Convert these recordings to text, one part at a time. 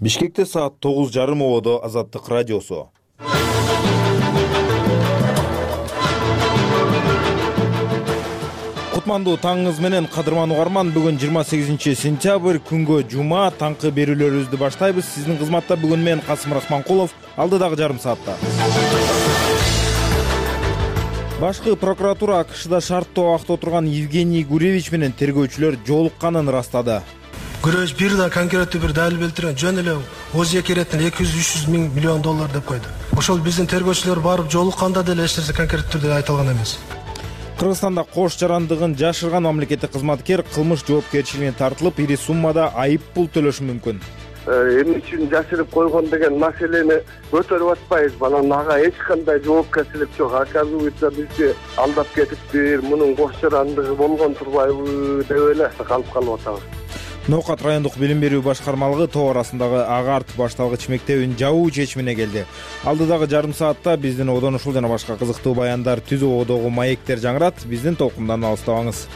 Бишкекте саат 9:30 ободо Азаттык радиосу. Кутмандуу таңыңыз менен кадырман угарман. Бүгүн 28 сентябрь, күнгө жума, таңкы берүүлөрүбүздү баштайбыз. Сиздин кызматта бүгүн мен Касым Рахманкулов, алдыдагы жарым саатта. Башкы прокуратура АКШда шарттуу абакта отурган Евгений Гуревич менен тергөөчүлөр жолукканын ырастады. Гуревич бир да конкреттүү бир далил келтирген, жөн эле ОЗ кереттен 200-300 миллион доллар деп койду. Ошол биздин тергөөчүлөр барып жолукканда деле эч нерсе конкреттүү түрдө айтылган эмес. Кыргызстанда кош жарандыгын жашырган мамлекеттик кызматкер кылмыш жоопкерчилигине тартылып, ири суммада айып пул төлөшү мүмкүн. Эмне үчүн жашырып койгон деген маселени көтөрүп атпайбыз. Анан ага эч кандай жоопкерчилик жок. Оказывается, бизди алдап кетиптир, мунун кош жарандыгы болгон турбайбы деп эле калып атабыз. Ноокат райондук билим берүү башкармалыгы тоо арасындагы агарт башталгыч мектебин жабуу чечимине келди. Алдыдагы жарым саатта биздин одон ушул жана башка кызыктуу баяндар түзүү ободогу маектер жаңырат. Биздин толкундан алыстабаңыз.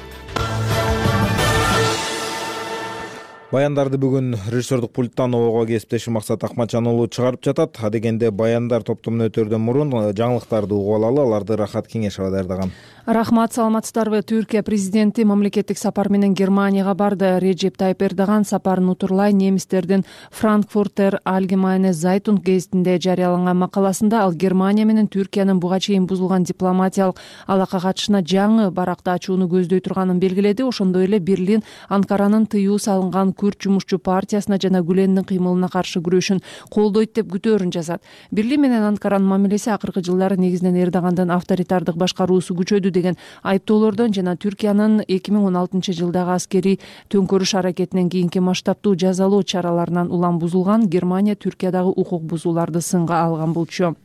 Баяндарды бүгүн режиссердук пульттан обого кесиптешим Максат Акматжан уулу чыгарып жатат. Адегенде баяндар топтомуна өтөрдөн мурун жаңылыктарды угуп алалы, аларды Рахат Кеңешова даярдаган. Рахмат, саламатсыздарбы? Түркия президенти мамлекеттик сапар менен Германияга барды. Реджеп Тайып Эрдоган сапарын утурлай немистердин Frankfurter Allgemeine Zeitung гезитинде жарыяланган макаласында ал Германия менен Түркиянын буга чейин бузулган дипломатиялык алака катышына жаңы баракта ачууну көздөй турганын белгиледи. Ошондой эле Берлин Анкаранын тыюу салынган Күрд жумушчу партиясына жана Гүлендин кыймылына каршы күрөшүн колдойт деп күтөөрүн жазат. Берлин менен Анкаранын мамилеси акыркы жылдары негизинен Эрдогандын авторитардык башкаруусу күчөдү деген айыптоолордон жана Түркиянын 2016 жылдагы аскерий төңкөрүш аракетинен кийинки масштабтуу жазалоо чараларынан улам бузулган. Германия Түркиядагы укук бузууларды сынга алган болчу.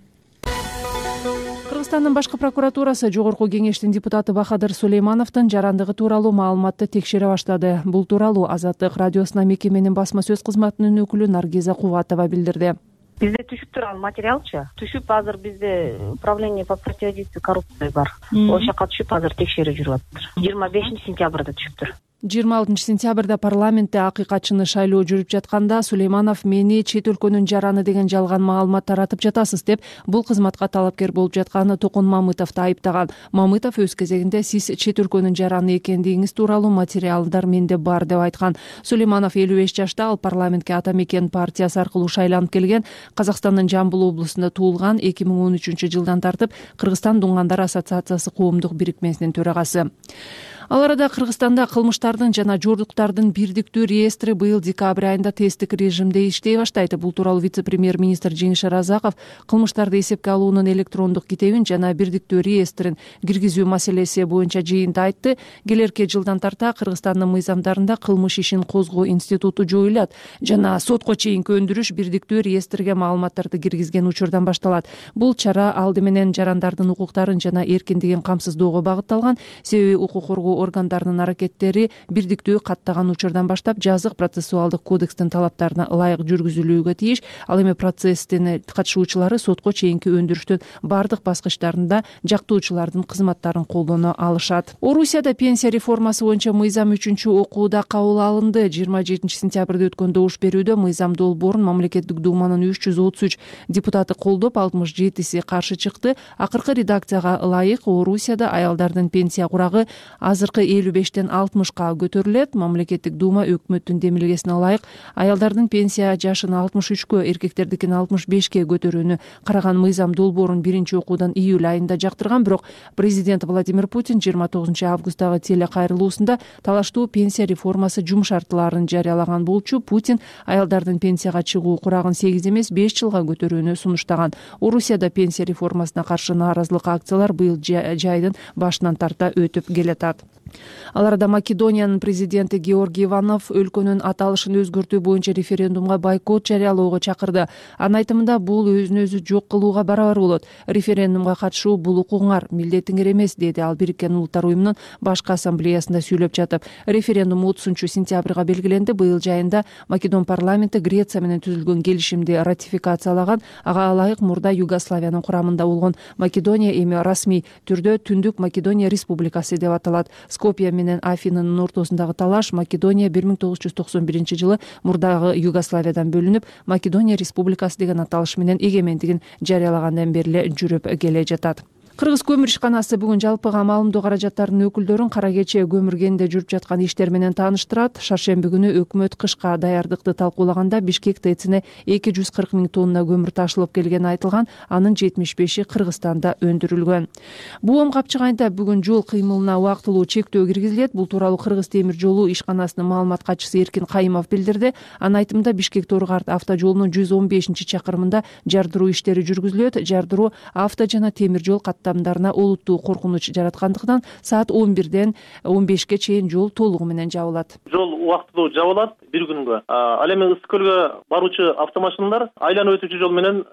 Кыргызстандын башкы прокуратурасы Жогорку кеңештин депутаты Бахадыр Сулеймановдун жарандыгы тууралуу маалыматты текшере баштады. Бул тууралуу Азаттык радиосуна мекеменин басма сөз кызматынын өкүлү Наргиза Кубатова билдирди. Бизде түшүп турган материалчы. Түшүп азыр бизде управление по противодействию коррупции бар. Ошол жака түшүп азыр текшерип жүрүп атыптыр. 25 сентябрда түшүптүр. 26 сентябрда парламентте акыйкатчыны шайлоо жүрүп жатканда Сулейманов мени чет өлкөнүн жараны деген жалган маалымат таратып жатасыз деп бул кызматка талапкер болуп жаткан Токун Мамытовду айыптаган. Мамытов өз кезегинде сиз чет өлкөнүн жараны экендигиңиз тууралуу материалдар менде бар деп айткан. Сулейманов 55 жашта, ал парламентке Ата Мекен партиясы аркылуу шайланып келген. Казакстандын Жамбыл облусунда туулган. 2013 жылдан тартып Кыргызстан Дуңгандар ассоциациясы коомдук бирикмесинин төрагасы. Ал арада Кыргызстанда кылмыштардын жана жордуктардын бирдиктүү реестри быйыл декабрь айында тесттик режимде иштей баштайт. Бул тууралуу вице-премьер-министр Жеңиш Аразаков кылмыштарды эсепке алуунун электрондук китебин жана бирдиктүү реестрин киргизүү маселеси боюнча жыйында айтты. Келерки жылдан тарта Кыргызстандын мыйзамдарында кылмыш ишин козгоо институту жоюлат жана сотко чейинки өндүрүш бирдиктүү реестрге маалыматтарды киргизген учурдан башталат. Бул чара алды менен жарандардын укуктарын жана эркиндигин камсыздоого багытталган. Себеби укук коргоо органдарынын аракеттери бирдиктүү каттаган учурдан баштап жазык процессуалдык кодекстин талаптарына ылайык жүргүзүлүүгө тийиш. Ал эми процесстин катышуучулары сотко чейинки өндүрүштүн бардык баскычтарында жактоочулардын кызматтарын колдоно алышат. Орусияда пенсия реформасы боюнча мыйзам 3-окууда кабыл алынды. 27 сентябрда өткөн добуш берүүдө мыйзам долбоорун мамлекеттик думанын 333 депутаты колдоп, 67си каршы чыкты. Акыркы редакцияга ылайык Орусияда аялдардын пенсия курагы азыркы 55-тен 60-ка көтөрүлөт. Мамлекеттик дума өкмөттүн демилгесине ылайык аялдардын пенсия жашын 63кө, эркектердикин 65ке көтөрүүнү караган мыйзам долбоорун биринчи окуудан июль айында жактырган. Бирок президент Владимир Путин 29 августтагы телекайрылуусунда талаштуу пенсия реформасы жумшартууларын жарыялаган болчу. Путин аялдардын пенсияга чыгуу курагын 8 эмес 5 жылга көтөрүүнү сунуштаган. Орусияда пенсия реформасына каршы нааразылык акциялар быйыл жайдын башынан тарта өтүп келатат. Ал арада Македониянын президенти Георгий Иванов өлкөнүн аталышын өзгөртүү боюнча референдумга бойкот жарыялоого чакырды. Анын айтымында бул өзүн өзү жок кылууга барабар болот. Референдумга катышуу бул укугуңар, милдетиңер эмес, деди ал Бириккен Улуттар уюмунун башкы ассамблеясында сүйлөп жатып. Референдум 30 сентябрга белгиленди. Быйыл жайында Македон парламенти Греция менен түзүлгөн келишимди ратификациялаган. Ага ылайык мурда Югославиянын курамында болгон Македония эми расмий түрдө Түндүк Македония республикасы деп аталат. Скопье менен Афинанын ортосундагы талаш Македония 1991 мурдагы Югославиядан бөлүнүп, Македония Республикасы деген аталыш менен эгемендигин жарыялагандан бери эле жүрүп келе жатат. Кыргыз көмүр ишканасы бүгүн жалпыга маалымдоо каражаттарынын өкүлдөрүн кара кече көмүр кенинде жүрүп жаткан иштер менен тааныштырат. Шаршемби күнү өкмөт кышка даярдыкты талкуулаганда Бишкек ТЭЦине 240 миң тонна көмүр ташылып келгени айтылган, анын 75и Кыргызстанда өндүрүлгөн. Буом капчык айында бүгүн жол кыймылына убактылуу чектөө киргизилет. Бул тууралуу Кыргыз темир жолу ишканасынын маалымат катчысы Эркин Кайымов билдирди. Анын айтымында Бишкек-Торгарт автожолунун 115-чакырымында жардыруу иштери жүргүзүлөт. Жардыруу авто жана темир жол каттамдарына олуттуу коркунуч жараткандыктан саат 11-ден 15-ке чейин жол толугу менен жабылат. Жол убактылуу жабылат бир күнгө. Ал эми Ысык көлгө баруучу автомашиналар айланып өтүүчү жол менен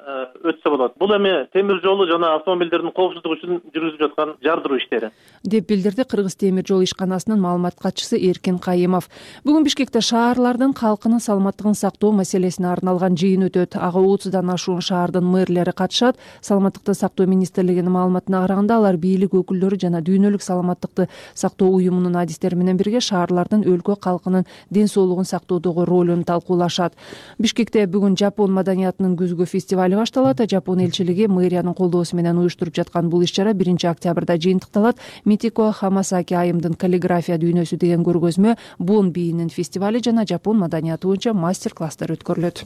өтсө болот. Бул эми темир жолу жана автомобилдердин коопсуздугу үчүн жүргүзүлүп жаткан жардыруу иштери деп билдирди Кыргыз темир жол ишканасынын маалымат катчысы Эркин Кайымов. Бүгүн Бишкекте шаарлардын калкынын саламаттыгын сактоо маселесине арналган жыйын өтөт. Ага 30дан ашуун шаардын мэрлери катышат. Саламаттыкты сактоо министрлигинин маалыматына караганда, алар бийлик өкүлдөрү жана дүйнөлүк саламаттыкты сактоо уюмунун адистери менен бирге шаарлардын өлкө калкынын ден соолугун сактоодогу ролун талкуулашат. Бишкекте бүгүн Жапон маданиятынын күзгү фестивали башталат. Жапон элчилиги мэриянын колдоосу менен уюштуруп жаткан бул иш-чара 1-октябрда жыйынтыкталат. Митико Хамасаки айымдын каллиграфия дүйнөсү деген көргөзмө, Бон бийинин фестивали жана жапон маданияты боюнча мастер-класстар өткөрүлөт.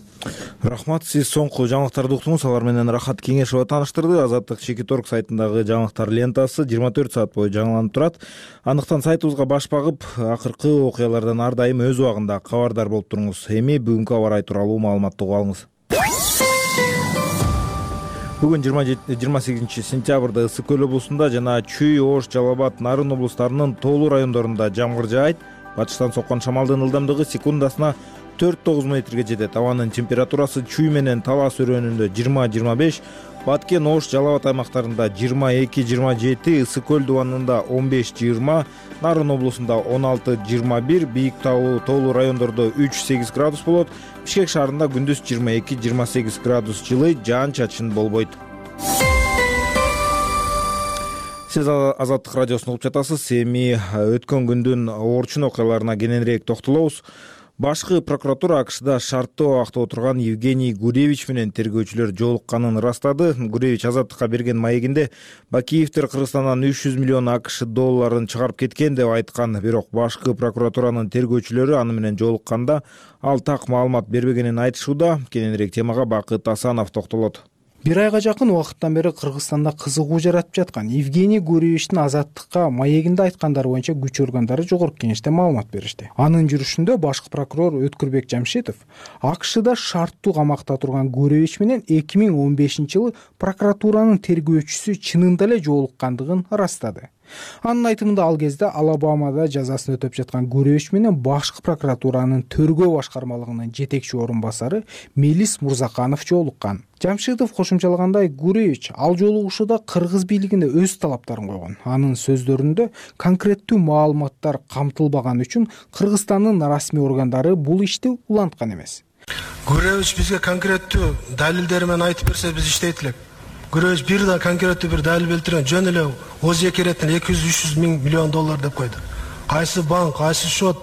Рахмат, сиз соңку жаңылыктарды уктуңуз. Алар менен Рахат Кеңешова тааныштырды. Азаттык Чекиторг сайтындагы жаңылыктар лентасы 24 саат бою жаңыланып турат. Андыктан сайтыбызга баш багып, акыркы окуялардан ар дайым өз убагында кабардар болуп туруңуз. Эми бүгүнкү аба ырайы тууралуу маалыматты угуп алыңыз. Бүгүн 28 сентябрда Ысык көл облусунда жана Чүй, Ош, Жалал Абад, Нарын облустарынын тоолуу райондорунда жамгыр жаайт. Батыштан соккон шамалдын ылдамдыгы секундасына 4-9 метрге жетет. Абанын температурасы Чүй менен Талас өрөөнүндө 20-25, Баткен, Ош, Жалал Абад аймактарында 22-27, Ысык көл дубанында 15-20, Нарын облусунда 16-21, бийик тоолуу райондордо 3-8 градус болот. Бишкек шаарында күндүз 22-28 градус жылы, жаан-чачын болбойт. Сиз Азаттык радиосун угуп жатасыз. Эми өткөн күндүн орчун окуяларына кененирээк токтолобуз. Башкы прокуратура АКШда шарттуу абакта отурган Евгений Гуревич менен тергөөчүлөр жолукканын ырастады. Гуревич Азаттыкка берген маегинде Бакиевдер Кыргызстандан 300 миллион АКШ долларын чыгарып кеткен деп айткан. Бирок башкы прокуратуранын тергөөчүлөрү аны менен жолукканда ал так маалымат бербегенин айтышууда. Кененирээк темага Бакыт Асанов токтолот. Бир айга жакын убакыттан бери Кыргызстанда кызыгуу жаратып жаткан Евгений Гуревичтин Азаттыкка маегинде айткандары боюнча күч органдары жогорку кеңеште маалымат беришти. Анын жүрүшүндө башкы прокурор Өткүрбек Жамшитов АКШда шарттуу камакта турган Гуревич менен 2015-жылы прокуратуранын тергөөчүсү чынында эле жолуккандыгын ырастады. Анын айтымында ал кезде Алабамада жазасын өтөп жаткан Гуревич менен башкы прокуратуранын тергөө башкармалыгынын жетекчи орун басары Мелис Мурзаканов жолуккан. Жамшитов кошумчалагандай, Гуревич ал жолугушууда кыргыз бийлигине өз талаптарын койгон. Анын сөздөрүндө конкреттүү маалыматтар камтылбаган үчүн Кыргызстандын расмий органдары бул ишти уланткан эмес. Гуревич бизге конкреттүү далилдери менен айтып берсе биз иштейт элек. Гуревич бир да конкреттүү бир далил келтирген, жөн эле ОЗЕКереттен 200-300 миллион доллар деп койду. Кайсы банк, кайсы счет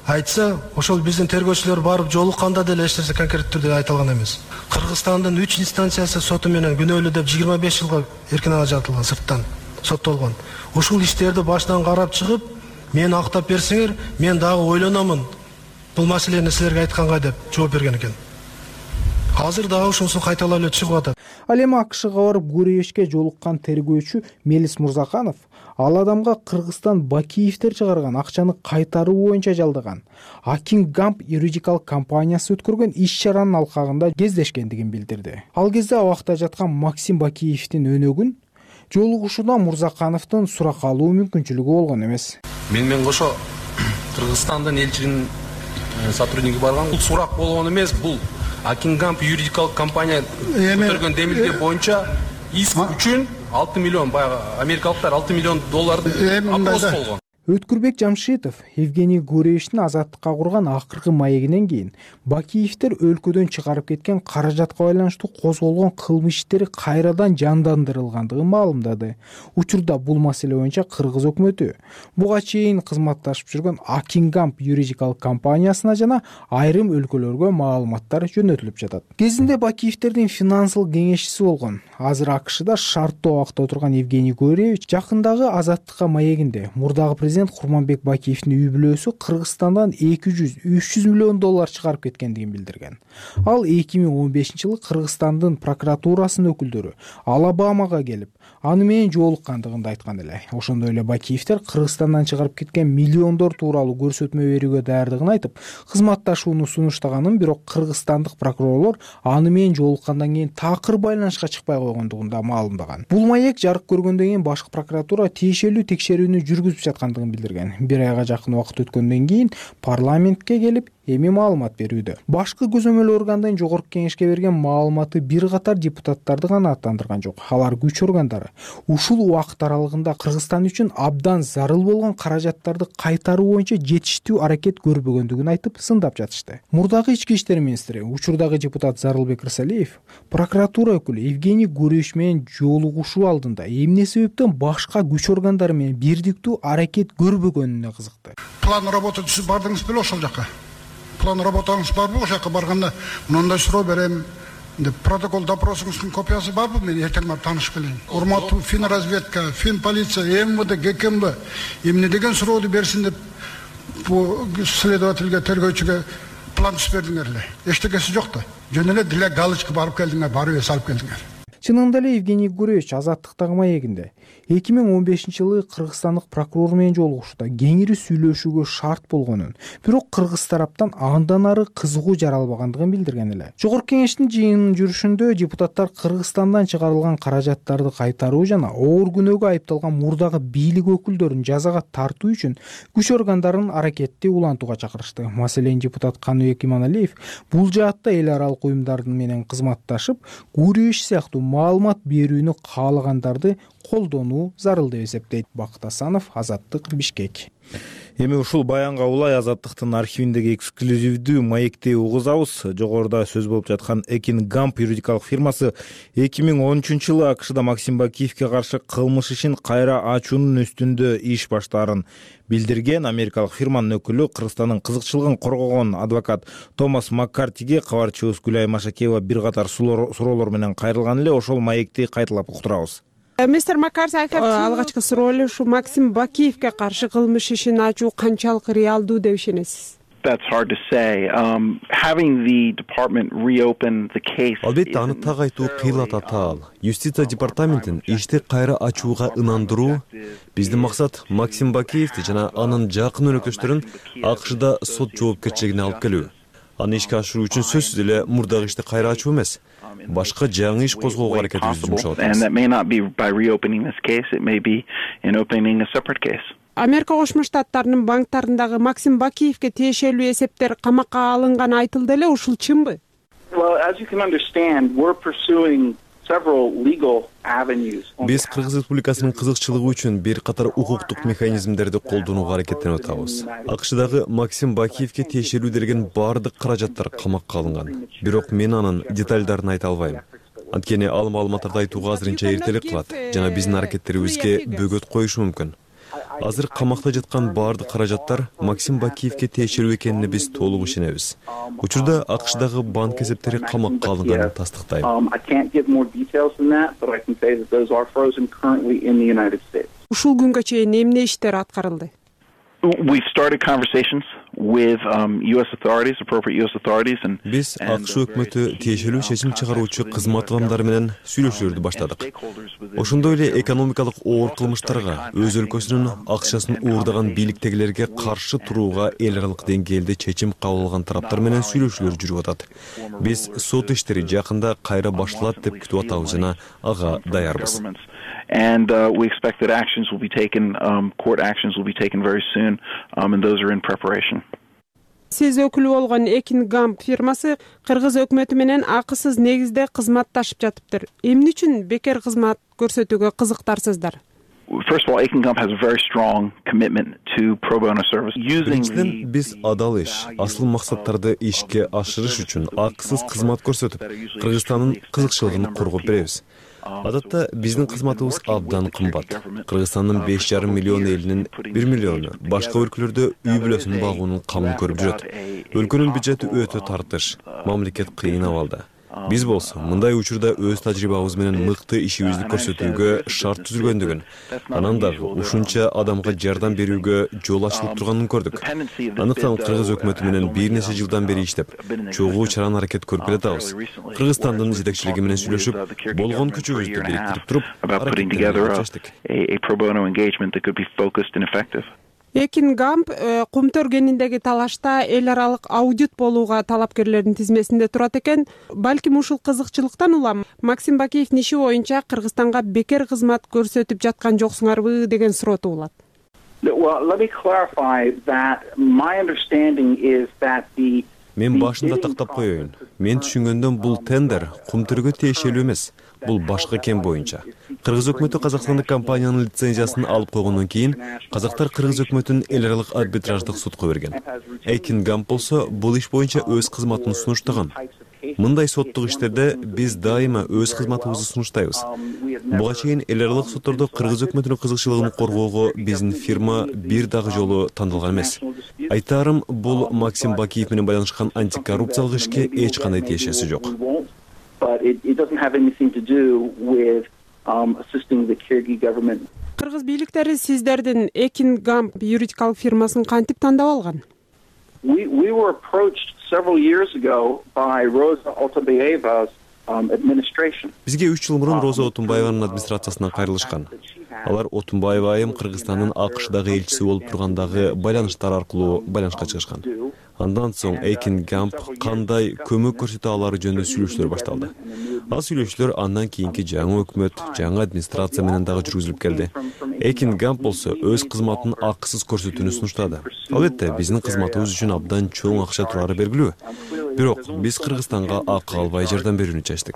айтса, ошол биздин тергөөчүлөр барып жолукканда деле эч нерсе конкреттүү түрдө айтылган эмес. Кыргызстандын 3 инстанциясы соту менен күнөөлүү деп 25 жылга эркин ажыратылган, сырттан соттолгон. Ушул иштерди башынан карап чыгып, мени актап берсеңер, мен дагы ойлономун бул маселени силерге айтканга деп жооп берген экен. Азыр дагы ушунусу кайталап эле чыгып атат. Ал эми АКШга барып Гуревичке жолуккан тергөөчү Мелис Мурзаканов ал адамга Кыргызстан Бакиевдер чыгарган акчаны кайтаруу боюнча жалдаган Акин Гамп юридикалык компаниясы өткөргөн иш-чаранын алкагында кездешкендигин билдирди. Ал кезде абакта жаткан Максим Бакиевдин өнөгүн жолугушуудан Мурзакановдун сурак алуу мүмкүнчүлүгү болгон эмес. Мен кошо Кыргызстандын элчилигинин сотрудниги барган. Бул сурак болгон эмес, бул Акингамп юридикалык компания өткөргөн демилге боюнча иск үчүн 6 миллион, баягы америкалыктар 6 миллион долларды опрос болгон. Өткүрбек Жамшитов Евгений Гуревичтин азаттыкка курган акыркы маегинен кийин Бакиевдер өлкөдөн чыгарып кеткен каражатка байланыштуу козголгон кылмыш иштери кайрадан жандандырылгандыгын маалымдады. Учурда бул маселе боюнча кыргыз өкмөтү буга чейин кызматташып жүргөн Акингамп юридикалык компаниясына жана айрым өлкөлөргө маалыматтар жөнөтүлүп жатат. Кезинде Бакиевдердин финансылык кеңешчиси болгон, азыр AKШда шарттуу абакта отурган Евгений Гуревич жакындагы азаттыкка маегинде мурдагы президент Курманбек Бакиевдин үй бүлөсү Кыргызстандан 200-300 миллион доллар чыгарып кеткендигин билдирген. Ал 2015-жылы Кыргызстандын прокуратурасынын өкүлдөрү Алабамага келип, аны менен жолуккандыгын да айткан эле. Ошондой эле Бакиевдер Кыргызстандан чыгарып кеткен миллиондор тууралуу көрсөтмө берүүгө даярдыгын айтып, кызматташууну сунуштаганын, бирок кыргызстандык прокурорлор аны менен жолуккандан кийин такыр байланышка чыкпай койгондугун да маалымдаган. Бул маек жарык көргөндөн кийин башкы прокуратура тиешелүү текшерүүнү жүргүзүп жаткандыгын билдирген. Бир айга жакын убакыт өткөндөн кийин парламентке келип эми маалымат берүүдө. Башкы көзөмөл органдын жогорку кеңешке берген маалыматы бир катар депутаттарды гана аттандырган жок. Алар күч органдары ушул убакыт аралыгында Кыргызстан үчүн абдан зарыл болгон каражаттарды кайтаруу боюнча жетиштүү аракет көрбөгөндүгүн айтып сындап жатышты. Мурдагы ички иштер министри, учурдагы депутат Зарылбек Рысалиев прокуратура өкүлү Евгений Гуревич менен жолугушуу алдында эмне себептен башка күч органдары менен бирдиктүү аракет көрбөгөнүнө кызыкты. План работы түзүп бардыңыз беле ошол жака? План работаңыз барбы? Ошол жака барганда мындай суроо берем деп протокол допросуңуздун копиясы барбы? Мен эртең барып таанышып келейин. Урматтуу финразведка, финполиция, МВД, ГКМБ эмне деген сурооду берсин деп бул следовательге, тергөөчүгө план түзүп бердиңер эле. Эчтекеси жок да. Жөн эле деле галочка барып келдиңер, барып салып келдиңер. Чынында эле Евгений Гуревич азаттыктагы маегинде 2015-жылы кыргызстандык прокурор менен жолугушууда кеңири сүйлөшүүгө шарт болгонун, бирок кыргыз тараптан андан ары кызыгуу жаралбагандыгын билдирген эле. Жогорку кеңештин жыйынынын жүрүшүндө депутаттар Кыргызстандан чыгарылган каражаттарды кайтаруу жана оор күнөөгө айыпталган мурдагы бийлик өкүлдөрүн жазага тартуу үчүн күч органдарын аракетти улантууга чакырышты. Маселен, депутат Каныбек Иманалиев бул жаатта эл аралык уюмдардын менен кызматташып, Гуревич сыяктуу маалымат берүүнү каалагандарды колдонуу зарыл деп эсептейт. Бакыт Асанов, Азаттык, Бишкек. Эми ушул баянга улай Азаттыктын архивиндеги эксклюзивдүү маекти угузабыз. Жогоруда сөз болуп жаткан Акингамп юридикалык фирмасы 2013-жылы AKШда Максим Бакиевке каршы кылмыш ишин кайра ачуунун үстүндө иш баштаарын билдирген. Америкалык фирманын өкүлү Кыргызстандын кызыкчылыгын коргогон адвокат Томас Маккартиге кабарчыбыз Гүлай Машакеева бир катар суроолор менен кайрылган эле. Ошол маекти кайталап уктурабыз. Мистер Маккарти, алгачкы суроо эле ушу Максим Бакиевке каршы кылмыш ишин ачуу канчалык реалдуу деп ишенесиз? Албетте, аны так айтуу кыйла татаал. Юстиция департаментин ишти кайра ачууга ынандыруу. Биздин максат Максим Бакиевди жана анын жакын өнөктөштөрүн AKШда сот жоопкерчилигине алып келүү. Аны ишке ашыруу үчүн сөзсүз эле мурдагы ишти кайра ачуу эмес, башка жаңы иш козгоого аракетибизди жумшап атабыз. Америка Кошмо Штаттарынын банктарындагы Максим Бакиевке тиешелүү эсептер камакка алынганы айтылды эле, ушул чынбы? Биз Кыргыз Республикасынын кызыкчылыгы үчүн бир катар укуктук механизмдерди колдонууга аракеттенип атабыз. AKШдагы Максим Бакиевке тиешелүү делген бардык каражаттар камакка алынган. Бирок мен анын детальдарын айта албайм. Анткени ал маалыматтарды айтууга азырынча эртелик кылат жана биздин аракеттерибизге бөгөт коюшу мүмкүн. Азыр камакта жаткан бардык каражаттар Максим Бакиевке тиешелүү экенине биз толук ишенебиз. Учурда AKШдагы банк эсептери камакка алынганын тастыктайм. Ушул күнгө чейин эмне иштер аткарылды? Биз AKШ өкмөтү тиешелүү чечим чыгаруучу кызмат адамдары менен сүйлөшүүлөрдү баштадык. Ошондой эле экономикалык оор кылмыштарга, өз өлкөсүнүн акчасын уурдаган бийликтегилерге каршы турууга эл аралык деңгээлде чечим кабыл алган тараптар менен сүйлөшүүлөр жүрүп атат. Биз сот иштери жакында кайра башталат деп күтүп атабыз жана ага даярбыз. And we expect that actions will be taken, court actions will be taken very soon, and those are in preparation. Сиз өкүлү болгон Акингамп фирмасы Кыргыз өкмөтү менен акысыз негизде кызматташып жатыптыр. Эмне үчүн бекер кызмат көрсөтүүгө кызыктарсыздар? First of all, Akin Gump has a very strong commitment to pro bono service. Биринчиден, биз адал иш, асыл максаттарды ишке ашырыш үчүн акысыз кызмат көрсөтүп, Кыргызстандын кызыкчылыгын коргоп беребиз. Адатта биздин кызматыбыз абдан кымбат. Кыргызстандын 5,5 миллион элинин 1 миллиону башка өлкөлөрдө үй бүлөсүн багуунун камын көрүп жүрөт. Өлкөнүн бюджети өтө тартыш, мамлекет кыйын абалда. Биз болсо мындай учурда өз тажрыйбабыз менен мыкты ишибизди көрсөтүүгө шарт түзүлгөндүгүн, анан дагы ушунча адамга жардам берүүгө жол ачылып турганын көрдүк. Андыктан кыргыз өкмөтү менен бир нече жылдан бери иштеп, чогуу чаран аракет көрүп келатабыз. Кыргызстандын жетекчилиги менен сүйлөшүп, болгон күчүбүздү бириктирип туруп, Akin Gump кумтөр кениндеги талашта эл аралык аудит болууга талапкерлердин тизмесинде турат экен. Балким ушул кызыкчылыктан улам Максим Бакиевдин иши боюнча Кыргызстанга бекер кызмат көрсөтүп жаткан жоксуңарбы деген суроо туулат. Мен башында тактап коеюн. Мен түшүнгөндөн бул тендер кумтөргө тиешелүү эмес. Бул башка кен боюнча. Кыргыз өкмөтү Казакстандык компаниянын лицензиясын алып койгондон кийин казактар Кыргыз өкмөтүн эл аралык арбитраждык судко берген. Akin Gump болсо бул иш боюнча өз кызматын сунуштаган. Мындай соттук иштерде биз дайыма өз кызматыбызды сунуштайбыз. Буга чейин эл аралык соттордо Кыргыз өкмөтүнүн кызыкчылыгын коргоого биздин фирма бир дагы жолу тандалган эмес. Айтарым, бул Максим Бакиев менен байланышкан антикоррупциялык ишке эч кандай тиешеси жок. Кыргыз бийликтери сиздердин Akin Gump юридикалык фирмасын кантип тандап алган? We were approached several years ago by Rosa Otunbayeva's administration. Бизге 3 жыл мурун Роза Отунбаеванын администрациясынан кайрылышкан. Алар Отунбаева айым Кыргызстандын АКШдагы элчиси болуп тургандагы байланыштар аркылуу байланышка чыгышкан. Андан соң Akin Gump кандай көмөк көрсөтө алары жөнүндө сүйлөшүүлөр башталды. Ал сүйлөшүүлөр андан кийинки жаңы өкмөт, жаңы администрация менен дагы жүргүзүлүп келди. Akin Gump болсо өз кызматын акысыз көрсөтүүнү сунуштады. Албетте, биздин кызматыбыз үчүн абдан чоң акча турары белгилүү. Бирок биз Кыргызстанга акы албай жардам берүүнү чечтик.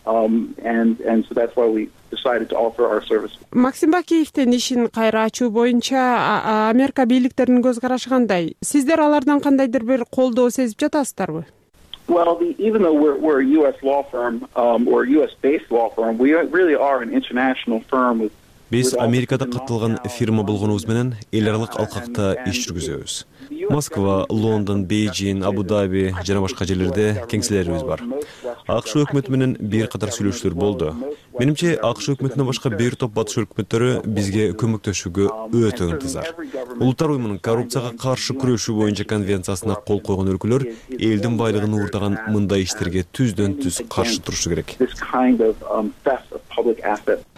And so that's why we decided to offer our service. Максим Бакиевдин ишин кайра ачуу боюнча Америка бийликтеринин көз карашы кандай? Сиздер алардан кандайдыр бир колдоо сезип жатасыздарбы? Well, even though we're a U.S. law firm or a U.S.-based law firm, we really are an international firm with. Биз Америкада катталган фирма болгонубуз менен эл аралык алкакта иш жүргүзөбүз. Москва, Лондон, Бейжин, Абу-Даби жана башка жерлерде кеңселерибиз бар. АКШ өкмөтү менен бир катар сүйлөшүүлөр болду. Менимче, АКШ өкмөтүнөн башка бир топ батыш өкмөттөрү бизге көмөктөшүүгө өтө ынтызар. Улуттар уюмунун коррупцияга каршы күрөшүү боюнча конвенциясына кол койгон өлкөлөр элдин байлыгын уурдаган мындай иштерге түздөн-түз каршы турушу керек.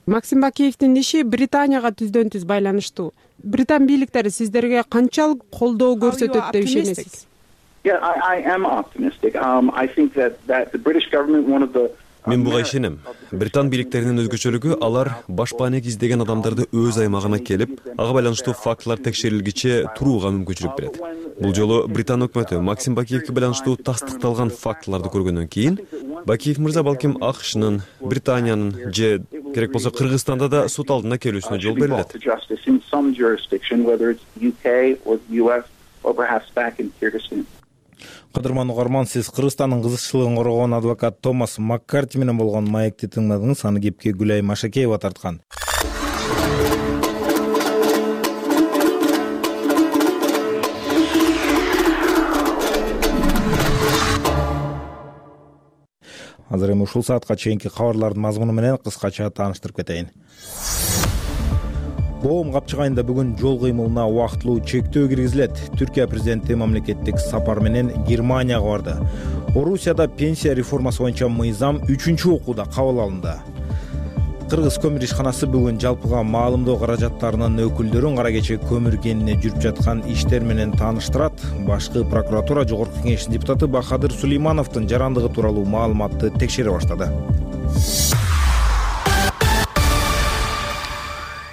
Максим Бакиевдин иши Британияга түздөн-түз байланыштуу. Британ бийликтери сиздерге канчалык колдоо көрсөтөт деп ишенесиз? Yeah, I am optimistic. I think that the British government, one of the Мен буга ишенем. Британ бийликтеринин өзгөчөлүгү алар баш баанек издеген адамдарды өз аймагына келип, ага байланыштуу фактылар текшерилгиче турууга мүмкүнчүлүк берет. Бул жолу Британ өкмөтү Максим Бакиевге байланыштуу тастыкталган фактыларды көргөндөн кийин, Бакиев мырза балким АКШнын, Британиянын же керек болсо Кыргызстанда да суд алдына келүүсүнө жол берилет. Кадырман угарман, сиз Кыргызстандын кызыкчылыгын коргоон адвокат Томас Маккарти менен болгон маекти тыңдадыңыз. Аны кепке Гүлай Машакеева тарткан. Азыр эми ушул саатка чейинки кабарлардын мазмуну менен кыскача тааныштырып кетейин. Боом капчыгайында бүгүн жол кыймылына убактылуу чектөө киргизилет. Түркия президенти мамлекеттик сапар менен Германияга барды. Орусияда пенсия реформасы боюнча мыйзам 3-чү окууда кабыл алынды. Кыргыз көмүр ишканасы бүгүн жалпыга маалымдоо каражаттарынын өкүлдөрүн кара кече көмүр кенине жүрүп жаткан иштер менен тааныштырат. Башкы прокуратура Жогорку Кеңештин депутаты Бахадыр Сулеймановдун жарандыгы тууралуу маалыматты текшере баштады.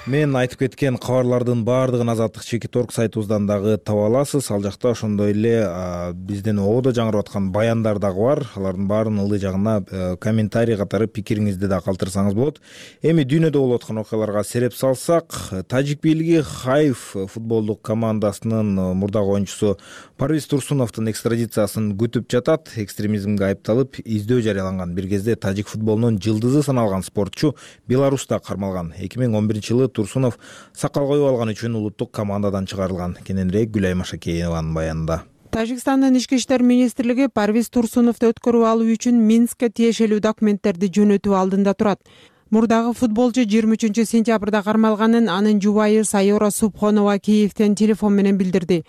Мен айтып кеткен кабарлардын баардыгын Азаттык Чекиторг сайтыбыздан дагы таба аласыз. Ал жакта ошондой эле биздин ободо жаңырап аткан баяндар дагы бар. Алардын баарынын ылдый жагына комментарий катары пикириңизди да калтырсаңыз болот. Эми дүйнөдө болуп аткан окуяларга сереп салсак, тажик бийлиги Хайф футболдук командасынын мурдагы оюнчусу Парвиз Турсуновдун экстрадициясын күтүп жатат. Экстремизмге айыпталып, издөө жарыяланган. Бир кезде тажик футболунун жылдызы саналган спортчу Беларуста кармалган. 2011-жылы Турсунов сакал коюп алган үчүн улуттук командадан чыгарылган. Кененирээк Гүлай Машакееванын баянында. Тажикстандын ички иштер министрлиги Парвиз Турсуновду өткөрүп алуу үчүн Минскке тиешелүү документтерди жөнөтүү алдында турат. Мурдагы футболчу 23-сентябрда кармалганын анын жубайы Сайора Субхонова Киевден телефон менен билдирди.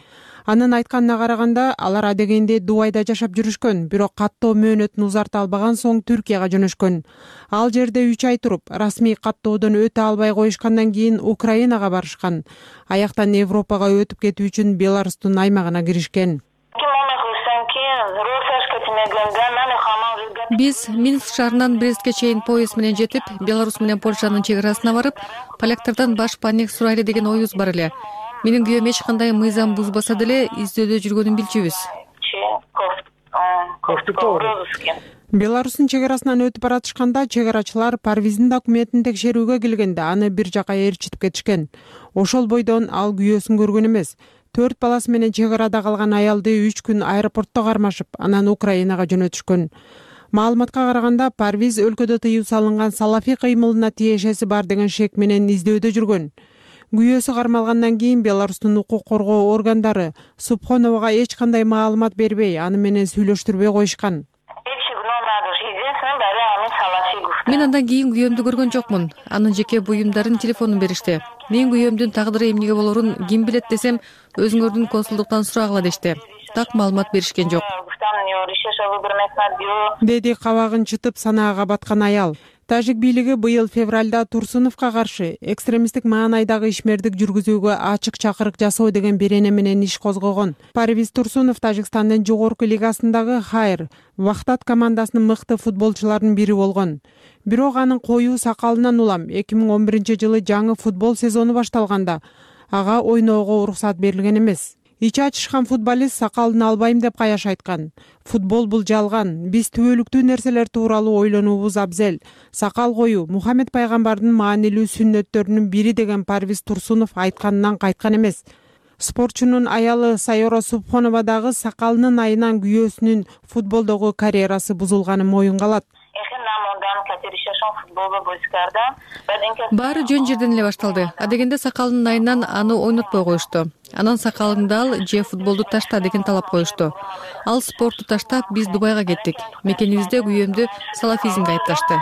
Анын айтканына караганда, алар адегенде Дубайда жашап жүрүшкөн, бирок каттоо мөөнөтүн узарта албаган соң Түркияга жөнөшкөн. Ал жерде 3 ай туруп, расмий каттоодон өтө албай коюшкандан кийин Украинага барышкан. Аяктан Европага өтүп кетүү үчүн Беларустун аймагына киришкен. Биз Минск шаарынан Брестке чейин поезд менен жетип, Беларусь менен Польшанын чек арасына барып, поляктардан баш паник сурайлы деген оюбуз бар эле. Менин күйөөм эч кандай мыйзам бузбаса деле издөөдө жүргөнүн билчүбүз. Беларустун чек арасынан өтүп баратышканда чек арачылар Парвиздин документин текшерүүгө келгенде аны бир жака ээрчитип кетишкен. Ошол бойдон ал күйөөсүн көргөн эмес. 4 баласы менен чек арада калган аялды 3 күн аэропортто кармашып, анан Украинага жөнөтүшкөн. Маалыматка караганда, Парвиз өлкөдө тыюу салынган салафий кыймылына тиешеси бар деген шек менен издөөдө жүргөн. Күйөөсү кармалгандан кийин Беларустун укук коргоо органдары Субхоновага эч кандай маалымат бербей, аны менен сүйлөштүрбөй коюшкан. Мен андан кийин күйөөмдү көргөн жокмун. Анын жеке буюмдарын телефонун беришти. Мен күйөөмдүн тагдыры эмнеге болорун ким билет десем, өзүңөрдүн консулдуктан сурагыла дешти. Так маалымат беришкен жок. Деди кабагын чытып санаага баткан аял. Тажик бийлиги быйыл февралда Турсуновго каршы экстремисттик маанайдагы ишмердик жүргүзүүгө ачык чакырык жасоо деген берене менен иш козгогон. Парвиз Турсунов Тажикстандын жогорку лигасындагы Хайр Вахтат командасынын мыкты футболчуларынын бири болгон. Бирок анын коюу сакалынан улам 2011-жылы жаңы футбол сезону башталганда ага ойноого уруксат берилген эмес. Ичи ачышкан футболист сакалын албайм деп каяш айткан. Футбол бул жалган. Биз түбөлүктүү нерселер тууралуу ойлонуубуз абзел. Сакал коюу Мухаммед пайгамбардын маанилүү сүннөттөрүнүн бири деген Парвиз Турсунов айтканынан кайткан эмес. Спортчунун аялы Сайора Субхонова дагы сакалынын айынан күйөөсүнүн футболдогу карьерасы бузулганын моюнга алат. Баары жөн жерден эле башталды. Адегенде сакалынын айынан аны ойнотпой коюшту. Анан сакалыңды ал же футболду ташта деген талап коюшту. Ал спортту таштап, биз Дубайга кеттик. Мекенибизде күйөөмдү салафизмге айыпташты.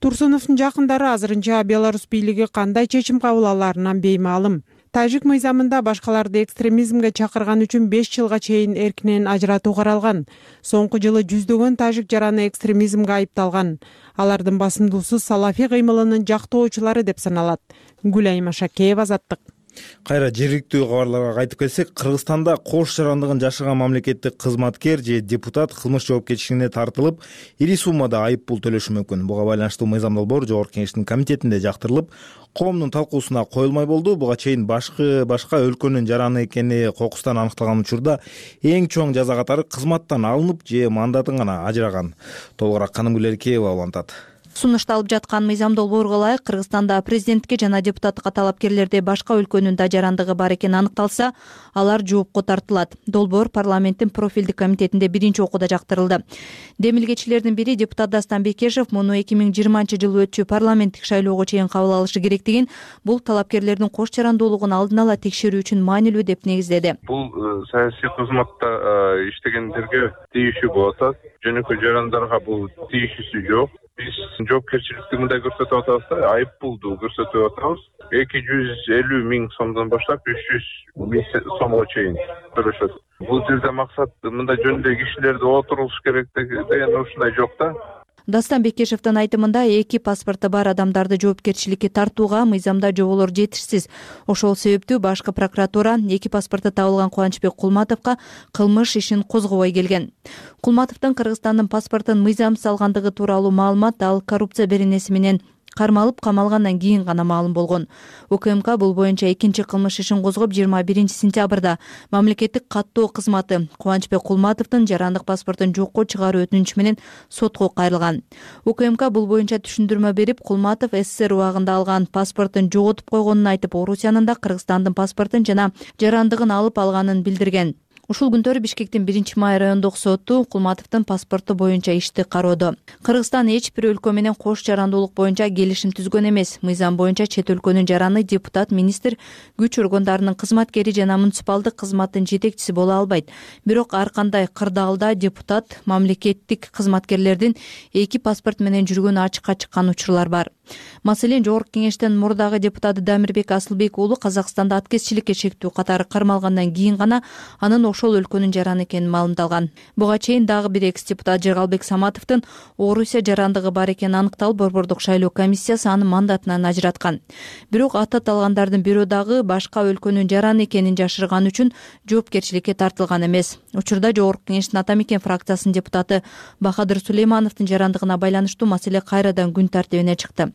Турсуновдун жакындары азырынча Беларусь бийлиги кандай чечим кабыл аларынан беймаалым. Тажик мыйзамында башкаларды экстремизмге чакырган үчүн 5 жылга чейин эркинен ажыратуу каралган. Соңку жылы жүздөгөн тажик жараны экстремизмге айыпталган. Алардын басымдуусу салафий кыймылынын жактоочулары деп саналат. Гүлай Машакеева, Азаттык. Кайра жергиликтүү кабарларга кайтып келсек, Кыргызстанда кош жарандыгын жашаган мамлекеттик кызматкер же депутат кылмыш жоопкерчилигине тартылып, ири суммада айып пул төлөшү мүмкүн. Буга байланыштуу мыйзам долбоор Жогорку Кеңештин комитетинде жактырылып, коомдун талкуусуна коюлмай болду. Буга чейин башка өлкөнүн жараны экени кокустан аныкталган учурда эң чоң жаза катары кызматтан алынып же мандатын гана ажыраган. Толугураак Канымгүл Эркеева улантат. Сунушталып жаткан мыйзам долбоорго ылайык Кыргызстанда президентке жана депутаттыкка талапкерлерде башка өлкөнүн да жарандыгы бар экени аныкталса, алар жоопко тартылат. Долбоор парламенттин профилдик комитетинде биринчи окууда жактырылды. Демилгечилердин бири депутат Дастан Бекешев муну 2020-жылы өтчү парламенттик шайлоого чейин кабыл алышы керектигин, бул талапкерлердин кош жарандуулугун алдын ала текшерүү үчүн маанилүү деп негиздеди. Бул саясий кызматта иштегендерге тийишүү болуп атат. Жөнөкөй жарандарга бул тийишүүсү жок. Биз жоопкерчиликти мындай көрсөтүп атабыз да, айып пулду көрсөтүп атабыз. 250 000 сомдон баштап 300 000 сомго чейин төлөшөт. Бул жерде максат мындай жөнүндө кишилерди отурулуш керек деген ушундай жок да. Дастан Бекешевдин айтымында эки паспорты бар адамдарды жоопкерчиликке тартууга мыйзамда жоболор жетишсиз. Ошол себептүү башкы прокуратура эки паспорты табылган Кубанычбек Кулматовго кылмыш ишин козгобой келген. Кулматовдун Кыргызстандын паспортун мыйзамсыз алгандыгы тууралуу маалымат ал коррупция беренеси менен кармалып камалгандан кийин гана маалым болгон. УКМК бул боюнча экинчи кылмыш ишин козгоп 21 сентябрда мамлекеттик каттоо кызматы Кубанычбек Кулматовдун жарандык паспортун жокко чыгаруу өтүнүчү менен сотко кайрылган. УКМК бул боюнча түшүндүрмө берип, Кулматов СССР убагында алган паспортун жоготуп койгонун айтып, Орусиянын да Кыргызстандын паспортун жана жарандыгын алып алганын билдирген. Ушул күндөрү Бишкектин 1-май райондук соту Кулматовдун паспорту боюнча ишти кароодо. Кыргызстан эч бир өлкө менен кош жарандуулук боюнча келишим түзгөн эмес. Мыйзам боюнча чет өлкөнүн жараны депутат, министр, күч органдарынын кызматкери жана муниципалдык кызматтын жетекчиси боло албайт. Бирок ар кандай кырдаалда депутат, мамлекеттик кызматкерлердин эки паспорт менен жүргөнү ачыкка чыккан учурлар бар. Маселен, Жогорку Кеңештин мурдагы депутаты Дамирбек Асылбек уулу Казакстанда аткезчиликке чектүү катары кармалгандан кийин гана анын ошол өлкөнүн жараны экени маалымдалган. Буга чейин дагы бир экс-депутат Жыргалбек Саматовдун Орусия жарандыгы бар экени аныкталып, Борбордук шайлоо комиссиясы аны мандатынан ажыраткан. Бирок аты аталгандардын бирөө дагы башка өлкөнүн жараны экенин жашырган үчүн жоопкерчиликке тартылган эмес. Учурда Жогорку Кеңештин Ата Мекен фракциясынын депутаты Бахадыр Сулеймановдун жарандыгына байланыштуу маселе кайрадан күн тартибине чыкты.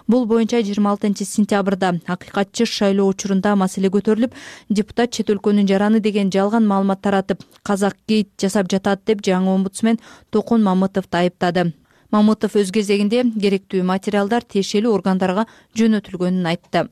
Бул боюнча 26 сентябрда акыйкатчы шайлоо учурунда маселе көтөрүлүп, депутат чет өлкөнүн жараны деген жалган маалымат таратып, казак-гейт жасап жатат деп жаңы омбудсмен Токун Мамытовду айыптады. Мамытов өз кезегинде керектүү материалдар тиешелүү органдарга жөнөтүлгөнүн айтты.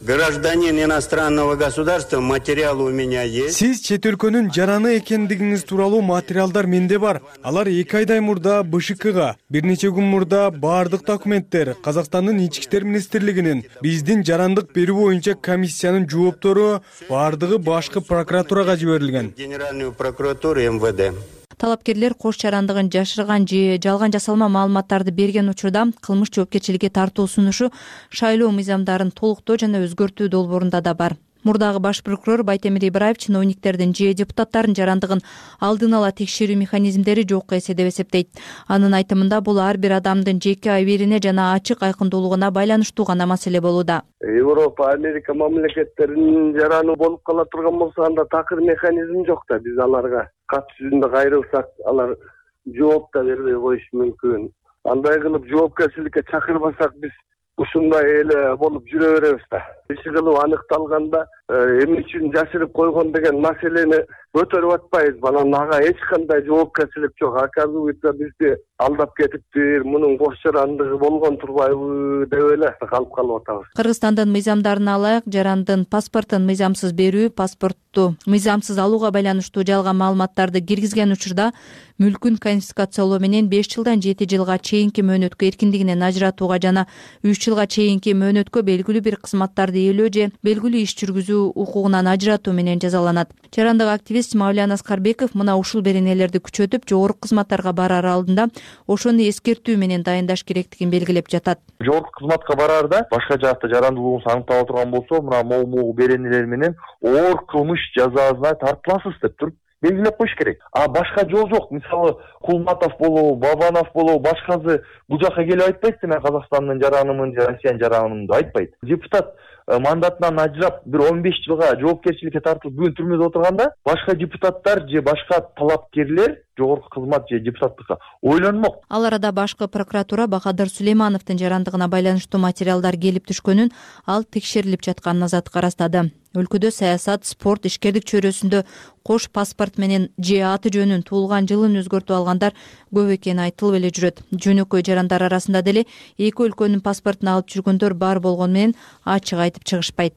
Гражданин иностранного государства, материалы у меня есть. Сиз чет өлкөнүн жараны экендигиңиз тууралуу материалдар менде бар. Алар 2 айдай мурда БШКга, бир нече күн мурда баардык документтер Казакстандын ички иштер министрлигинин, биздин жарандык берүү боюнча комиссиянын жооптору баардыгы башкы прокуратурага жиберилген. Генеральную прокуратуру МВД. Талапкерлер кош жарандыгын жашырган же жалган жасалма маалыматтарды берген учурда кылмыш жоопкерчиликке тартуу сунушу шайлоо мыйзамдарын толуктоо жана өзгөртүү долбоорунда да бар. Мурдагы баш прокурор Байтемир Ибраев чиновниктердин же депутаттардын жарандыгын алдын ала текшерүү механизмдери жок эсе деп эсептейт. Анын айтымында бул ар бир адамдын жеке абийирине жана ачык айкындуулугуна байланыштуу гана маселе болууда. Европа, Америка мамлекеттеринин жараны болуп кала турган болсо, анда такыр механизм жок да. Биз аларга кат жүзүндө кайрылсак, алар жооп да бербей коюшу мүмкүн. Андай кылып жоопкерчиликке чакырбасак, биз ушундай эле болуп жүрө беребиз да. Иши кылып аныкталганда эмне үчүн жашырып койгон деген маселени көтөрүп атпайбыз. Анан ага эч кандай жоопкерчилик жок. Оказывается, бизди алдап кетиптир, мунун кош жарандыгы болгон турбайбы деп эле калып атабыз. Кыргызстандын мыйзамдарына ылайык жарандын паспортун мыйзамсыз берүү, паспортту мыйзамсыз алууга байланыштуу жалган маалыматтарды киргизген учурда мүлкүн конфискациялоо менен 5 жылдан 7 жылга чейинки мөөнөткө эркиндигинен ажыратууга жана 3 жылга чейинки мөөнөткө белгилүү бир кызматтарды ээлөө же белгилүү иш жүргүзүү укугунан ажыратуу менен жазаланат. Жарандык активист Мавлян Аскарбеков мына ушул беренелерди күчөтүп, жогорку кызматтарга барар алдында ошону эскертүү менен дайындаш керектигин белгилеп жатат. Жогорку кызматка бараарда башка жакта жарандуулугуңуз аныктала турган болсо, мына могу беренелер менен оор кылмыш жазасына тартыласыз деп туруп белгилеп коюш керек. А башка жол жок. Мисалы, Кулматов болобу, Бабанов болобу, башкасы бул жака келип айтпайт, мен Казакстандын жаранымын же Россиянын жаранымын деп айтпайт. Депутат мандатынан ажырап бир 15 жылга жоопкерчиликке тартылып бүгүн түрмөдө отурганда, башка депутаттар же башка талапкерлер жогорку кызмат же депутаттыкка ойлонмок. Ал арада башкы прокуратура Бахадыр Сулеймановдун жарандыгына байланыштуу материалдар келип түшкөнүн, ал текшерилип жатканын азаттыкка ырастады. Өлкөдө саясат, спорт, ишкердик чөйрөсүндө кош паспорт менен же аты жөнүн, туулган жылын өзгөртүп алгандар көп экени айтылып эле жүрөт. Жөнөкөй жарандар арасында деле эки өлкөнүн паспортун алып жүргөндөр бар болгону менен ачык айтып чыгышпайт.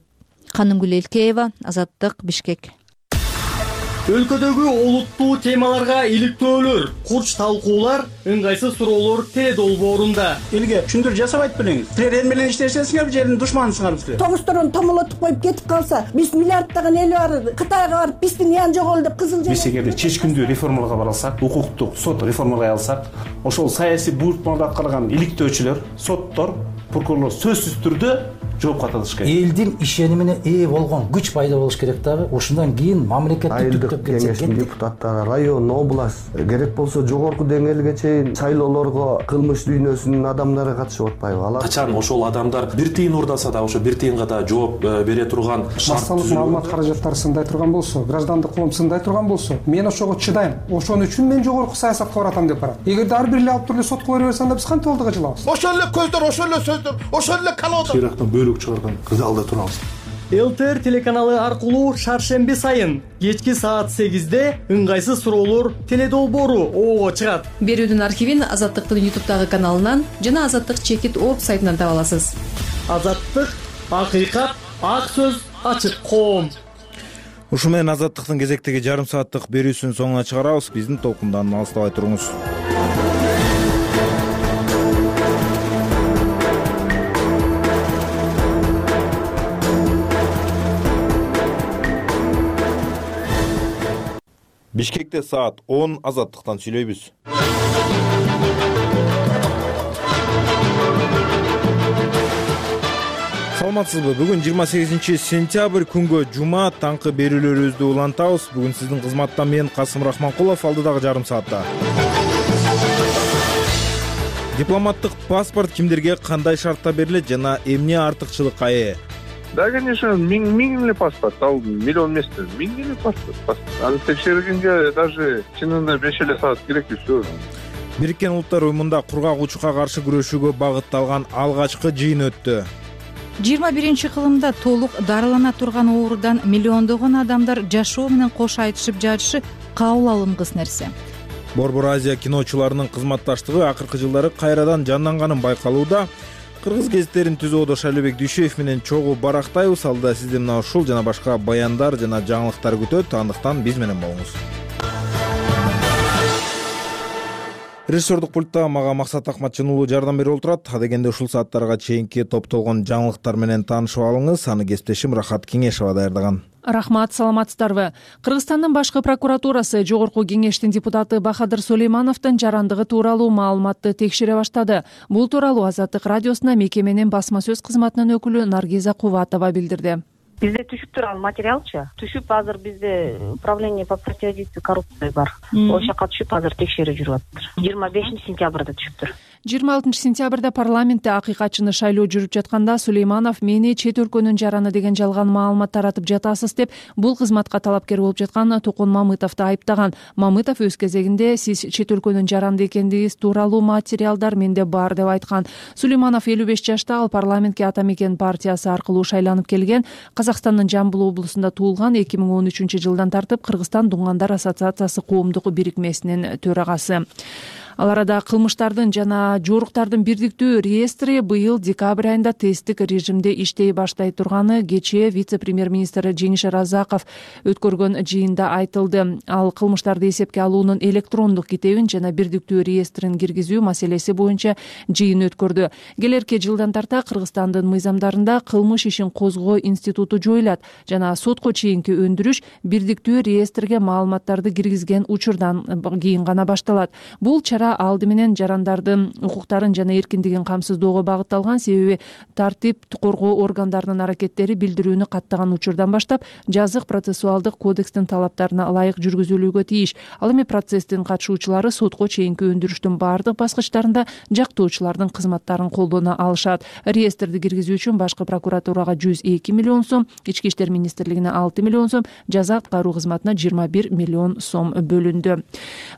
Канымгүл Элкеева, Азаттык, Бишкек. Өлкөдөгү олуттуу темаларга иликтөөлөр, курч талкуулар, ыңгайсыз суроолор теле долбоорунда. Элге түшүндүрүү жасабайт белеңиз. Силер эл менен иштешесиңер, жердин душманысыңар силер. Тогусторон томолотуп коюп кетип калса, биз миллиарддаган эл бар, Кытайга барып биздин ян жоголду деп кызыл Биз эгерде чечкиндүү реформаларга бара алсак, укуктук сот реформалай алсак, ошол саясий буйртмаларды аткарган иликтөөчүлөр, соттор, прокурорлор сөзсүз түрдө жоопко тартылыш керек. Элдин ишенимине ээ болгон күч пайда болуш керек дагы. Ошондон кийин мамлекеттик түптөп кетсек кеңештин депутаттары район, область, керек болсо жогорку деңгээлге чейин шайлоолорго кылмыш дүйнөсүнүн адамдары катышып атпайбы? Алар Качан ошол адамдар бир тыйын уурдаса да ошо бир тыйынга да жооп бере турган массалык маалымат каражаттары сындай турган болсо, граждандык коом сындай турган болсо, мен ошого чыдайм. Ошон үчүн мен жогорку саясатка баратам деп барат. Эгерде ар бир эле алып туруп эле сотко бере берсе, анда биз кантип алдыга жылабыз? Ошол эле көздөр, ошол эле сөздөр, ошол эле колодо. Чыйрактан бөлүк чыгарган залда турабыз. ЛТР телеканалы аркылуу шаршемби сайын кечки саат 8-де ыңгайсыз суроолор теледолбоору оого чыгат. Берүүдүн архивин Азаттыктын YouTube'дагы каналынан жана Азаттык чекит орг сайтынан таба аласыз. Азаттык, акыйкат, ак сөз, ачык коом. Ушу менен Азаттыктын кезектеги жарым сааттык берүүсүнүн соңуна чыгарабыз. Биздин толкундан алыстабай туруңуз. Бишкекте саат 10 Азаттыктан сүйлөйбүз. Саламатсызбы? Бүгүн 28-сентябрь күнгө жума таңкы берүүлөрүбүздү улантабыз. Бүгүн сиздин кызматта мен Касым Рахманкулов, алдыдагы жарым саатта. Дипломаттык паспорт кимдерге кандай шартта берилет жана эмне артыкчылыкка ээ? Да, конечно, миң эле паспорт, ал миллион эмес, миң эле паспорт. Аны текшергенге даже чынында 5 эле саат керек все. Бириккен Улуттар уюмунда кургак учукка каршы күрөшүүгө багытталган алгачкы жыйын өттү. 21 кылымда толук дарылана турган оорудан миллиондогон адамдар жашоо менен кош айтышып жатышы кабыл алынгыс нерсе. Борбор Азия киночуларынын кызматташтыгы акыркы жылдары кайрадан жанданганын байкалууда. Кыргыз гезиттерин түзүүдө Шайлообек Дүйшөев менен чогуу барактайбыз. Алда сизди мына ушул жана башка баяндар жана жаңылыктар күтөт. Андыктан биз менен болуңуз. Режиссердук пультта мага Максат Акматжан уулу жардам берип отурат. Адегенде ушул сааттарга чейинки топтолгон жаңылыктар менен таанышып алыңыз. Аны кесиптешим Рахат Кеңешова даярдаган. Рахмат, саламатсыздарбы? Кыргызстандын башкы прокуратурасы жогорку кеңештин депутаты Бахадыр Сулеймановдун жарандыгы тууралуу маалыматты текшере баштады. Бул тууралуу Азаттык радиосуна мекеменин басма сөз кызматынын өкүлү Наргиза Кубатова билдирди. Бизде түшүп турган материалчы. Түшүп азыр бизде управление по противодействию коррупции бар. Ошол жака түшүп азыр текшерүү жүрүп атыптыр. 25 сентябрда түшүптүр. 26 сентябрда парламентте акыйкатчыны шайлоо жүрүп жатканда Сулейманов мени чет өлкөнүн жараны деген жалган маалымат таратып жатасыз деп бул кызматка талапкер болуп жаткан Токун Мамытовду айыптаган. Мамытов өз кезегинде сиз чет өлкөнүн жаранды экендигиңиз тууралуу материалдар менде бар деп айткан. Сулейманов 55 жашта, ал парламентке Ата Мекен партиясы аркылуу шайланып келген. Казакстандын Жамбыл облусунда туулган, 2013 жылдан тартып Кыргызстан Дуңгандар ассоциациясы коомдук бирикмесинин төрагасы. Ал арада кылмыштардын жана жоруктардын бирдиктүү реестри быйыл декабрь айында тесттик режимде иштей баштай турганы кечээ вице-премьер-министр Жеңиш Разаков өткөргөн жыйында айтылды. Ал кылмыштарды эсепке алуунун электрондук китебин жана бирдиктүү реестрин киргизүү маселеси боюнча жыйын өткөрдү. Келерки жылдан тарта Кыргызстандын мыйзамдарында кылмыш ишин козгоо институту жоюлат жана сотко чейинки өндүрүш бирдиктүү реестрге маалыматтарды киргизген учурдан кийин гана башталат. Бул чара алды менен жарандардын укуктарын жана эркиндигин камсыздоого багытталган, себеби тартип коргоо органдарынын аракеттери билдирүүнү каттаган учурдан баштап жазык процессуалдык кодекстин талаптарына ылайык жүргүзүлүүгө тийиш. Ал эми процесстин катышуучулары сотко чейинки өндүрүштүн бардык баскычтарында жактоочулардын кызматтарын колдоно алышат. Реестрди киргизүү үчүн башкы прокуратурага 102 миллион сом, Ички иштер министрлигине 6 миллион сом, жаза аткаруу кызматына 21 миллион сом бөлүндү.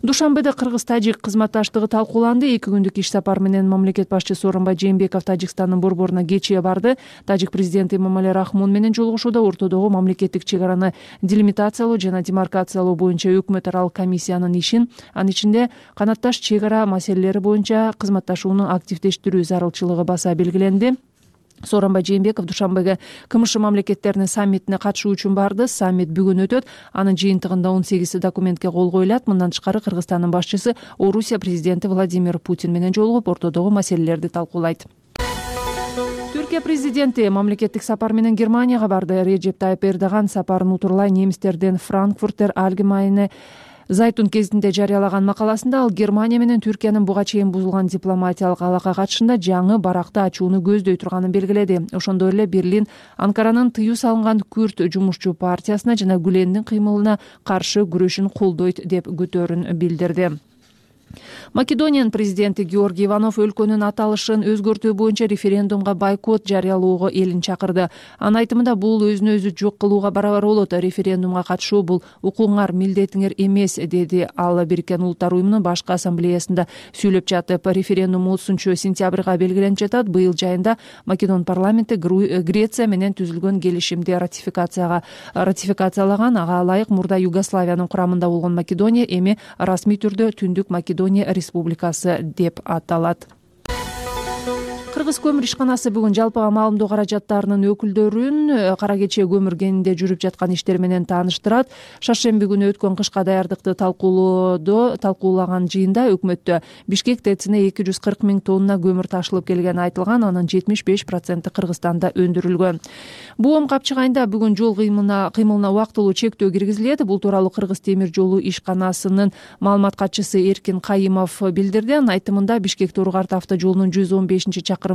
Душанбеде Кыргыз-Тажик кызматташтыгы талкууланды. 2 күндүк иш сапар менен мамлекет башчысы Сооронбай Жээнбеков Тажикстандын борборуна кечээ барды. Тажик президенти Эмомали Рахмон менен жолугушууда ортодогу мамлекеттик чек араны делимитациялоо жана демаркациялоо боюнча өкмөт аралык комиссиянын ишин, анын ичинде канатташ чек ара маселелери боюнча кызматташууну активдештирүү зарылчылыгы баса белгиленди. Сооронбай Жээнбеков Душанбеге КМШ мамлекеттеринин саммитине катышуу үчүн барды. Саммит бүгүн өтөт. Анын жыйынтыгында 18 документке кол коюлат. Мындан тышкары Кыргызстандын башчысы Орусия президенти Владимир Путин менен жолугуп, ортодогу маселелерди талкуулайт. Түркия президенти мамлекеттик сапар менен Германияга барды. Реджеп Тайып Эрдоган сапарын утурлай немистердин Франкфуртер Allgemeine Зайтун кезинде жарыялаган макаласында ал Германия менен Түркиянын буга чейин бузулган дипломатиялык алака катышында жаңы баракты ачууну көздөй турганын белгиледи. Ошондой эле Берлин Анкаранын тыюу салынган Күрд жумушчу партиясына жана Гүлендин кыймылына каршы күрөшүн колдойт деп күтөөрүн билдирди. Македониянын президенти Георгий Иванов өлкөнүн аталышын өзгөртүү боюнча референдумга бойкот жарыялоого элин чакырды. Анын айтымында бул өзүнө өзү жок кылууга барабар болот. Референдумга катышуу бул укугуңар, милдетиңер эмес, деди ал Бириккен Улуттар уюмунун башкы ассамблеясында сөйлөп жатып. Референдум 30-сентябрга белгиленип жатат. Быйыл жайында Македон парламенти Греция менен түзүлгөн келишимди ратификациялаган. Ага ылайык мурда Югославиянын курамында болгон Македония эми расмий түрдө Түндүк Македония республикасы деп аталат. Кыргыз көмүр ишканасы бүгүн жалпыга маалымдоо каражаттарынын өкүлдөрүн кара кече көмүр кенинде жүрүп жаткан иштер менен тааныштырат. Шаршемби күнү өткөн кышка даярдыкты талкуулаган жыйында өкмөттө Бишкек ТЭЦине 240 000 тонна көмүр ташылып келгени айтылган, анын 75% Кыргызстанда өндүрүлгөн. Буом капчык айында бүгүн жол кыймылына убактылуу чектөө киргизилет. Бул тууралуу Кыргыз темир жолу ишканасынын маалымат катчысы Эркин Кайымов билдирди. Анын айтымында Бишкек Тору-Карт автожолунун 115-чакырымында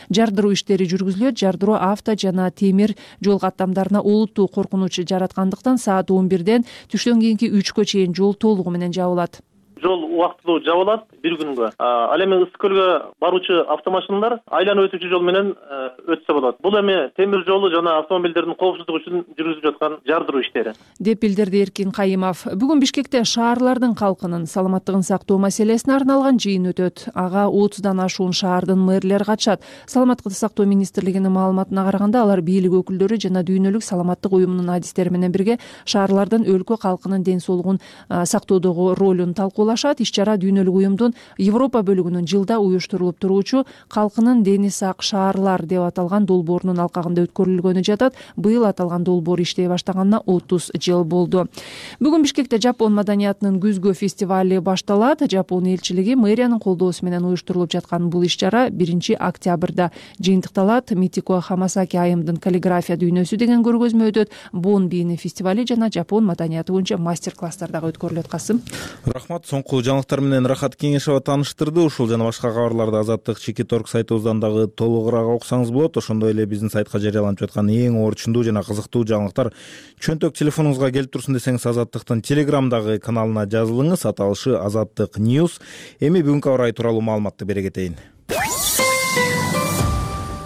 жардыруу иштери жүргүзүлөт. Жардыруу авто жана темир жол каттамдарына олуттуу коркунуч жараткандыктан саат 11-ден түштөн кийинки 3кө чейин жол толугу менен жабылат. Жол убактылуу жабылат бир күнгө. Ал эми Ысык көлгө баруучу автомашиналар айланып өтүүчү жол менен өтсө болот. Бул эми темир жолу жана автомобилдердин коопсуздугу үчүн жүргүзүлүп жаткан жардыруу иштери деп билдирди Эркин Кайымов. Бүгүн Бишкекте шаарлардын калкынын саламаттыгын сактоо маселесине арналган жыйын өтөт. Ага 30дан ашуун шаардын мэрлери катышат. Саламаттыкты сактоо министрлигинин маалыматына караганда, алар бийлик өкүлдөрү жана дүйнөлүк саламаттык уюмунун адистери менен бирге шаарлардын өлкө калкынын ден соолугун сактоодогу ролун талкуулашат. Иш-чара дүйнөлүк уюмдун Европа бөлүгүнүн жылда уюштурулуп туруучу калкынын дени сак шаарлар деп аталган долбоорунун алкагында өткөрүлгөнү жатат. Быйыл аталган долбоор иштей баштаганына 30 жыл болду. Бүгүн Бишкекте Жапон маданиятынын күзгү фестивали башталат. Жапон элчилиги мэриянын колдоосу менен уюштурулуп жаткан бул иш-чара 1-октябрда жыйынтыкталат. Митико Хамасаки айымдын каллиграфия дүйнөсү деген көргөзмө өтөт. Бон бийини фестивали жана Жапон маданияты боюнча мастер-класстар дагы өткөрүлөт. Касым. Рахмат. Соңку жаңылыктар менен Рахат Кеңешова тааныштырды. Ушул жана башка кабарларды Азаттык Чекиторг сайтыбыздан дагы толугураак окусаңыз болот. Ошондой эле биздин сайтка жарыяланып жаткан эң орчундуу жана кызыктуу жаңылыктар чөнтөк телефонуңузга келип турсун десеңиз, Азаттыктын Телеграмдагы каналына жазылыңыз. Аталышы Азаттык News. Эми бүгүнкү аба ырайы тууралуу маалыматты бере кетейин.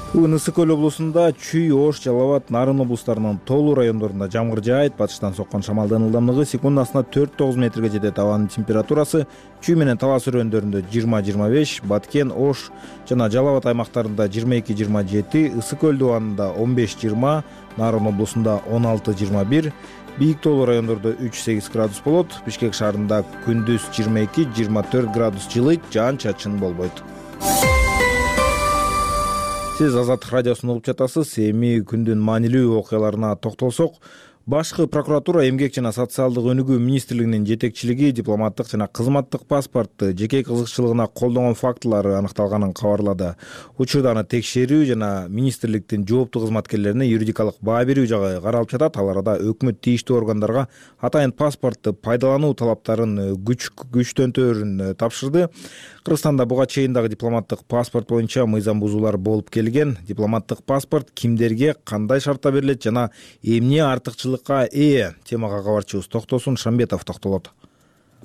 Бүгүн Ысык көл облусунда Чүй, Ош, Жалал Абад, Нарын облустарынын тоолуу райондорунда жамгыр жаайт. Батыштан соккон шамалдын ылдамдыгы секундасына 4-9 метрге жетет. Абанын температурасы Чүй менен Талас өрөөндөрүндө 20-25, Баткен, Ош жана Жалал Абад аймактарында 22-27, Ысык көл дубанында 15-20, Нарын облусунда 16-21, бийик тоолуу райондордо 3-8 градус болот. Бишкек шаарында күндүз 22-24 градус жылыйт, жаан-чачын болбойт. Сиз Азаттык радиосун угуп жатасыз. Эми күндүн маанилүү окуяларына токтолсок, Башкы прокуратура Эмгек жана социалдык өнүгүү министрлигинин жетекчилиги дипломаттык жана кызматтык паспортту жеке кызыкчылыгына колдонгон фактылары аныкталганын кабарлады. Учурда аны текшерүү жана министрликтин жооптуу кызматкерлерине юридикалык баа берүү жагы каралып жатат. Ал арада өкмөт тийиштүү органдарга атайын паспортту пайдалануу талаптарын күчтөнтөөрүн тапшырды. Кыргызстанда буга чейин дагы дипломаттык паспорт боюнча мыйзам бузуулар болуп келген. Дипломаттык паспорт кимдерге кандай шартта берилет жана эмне артыкчылыкка ээ? Темага кабарчыбыз Токтосун Шамбетов токтолот.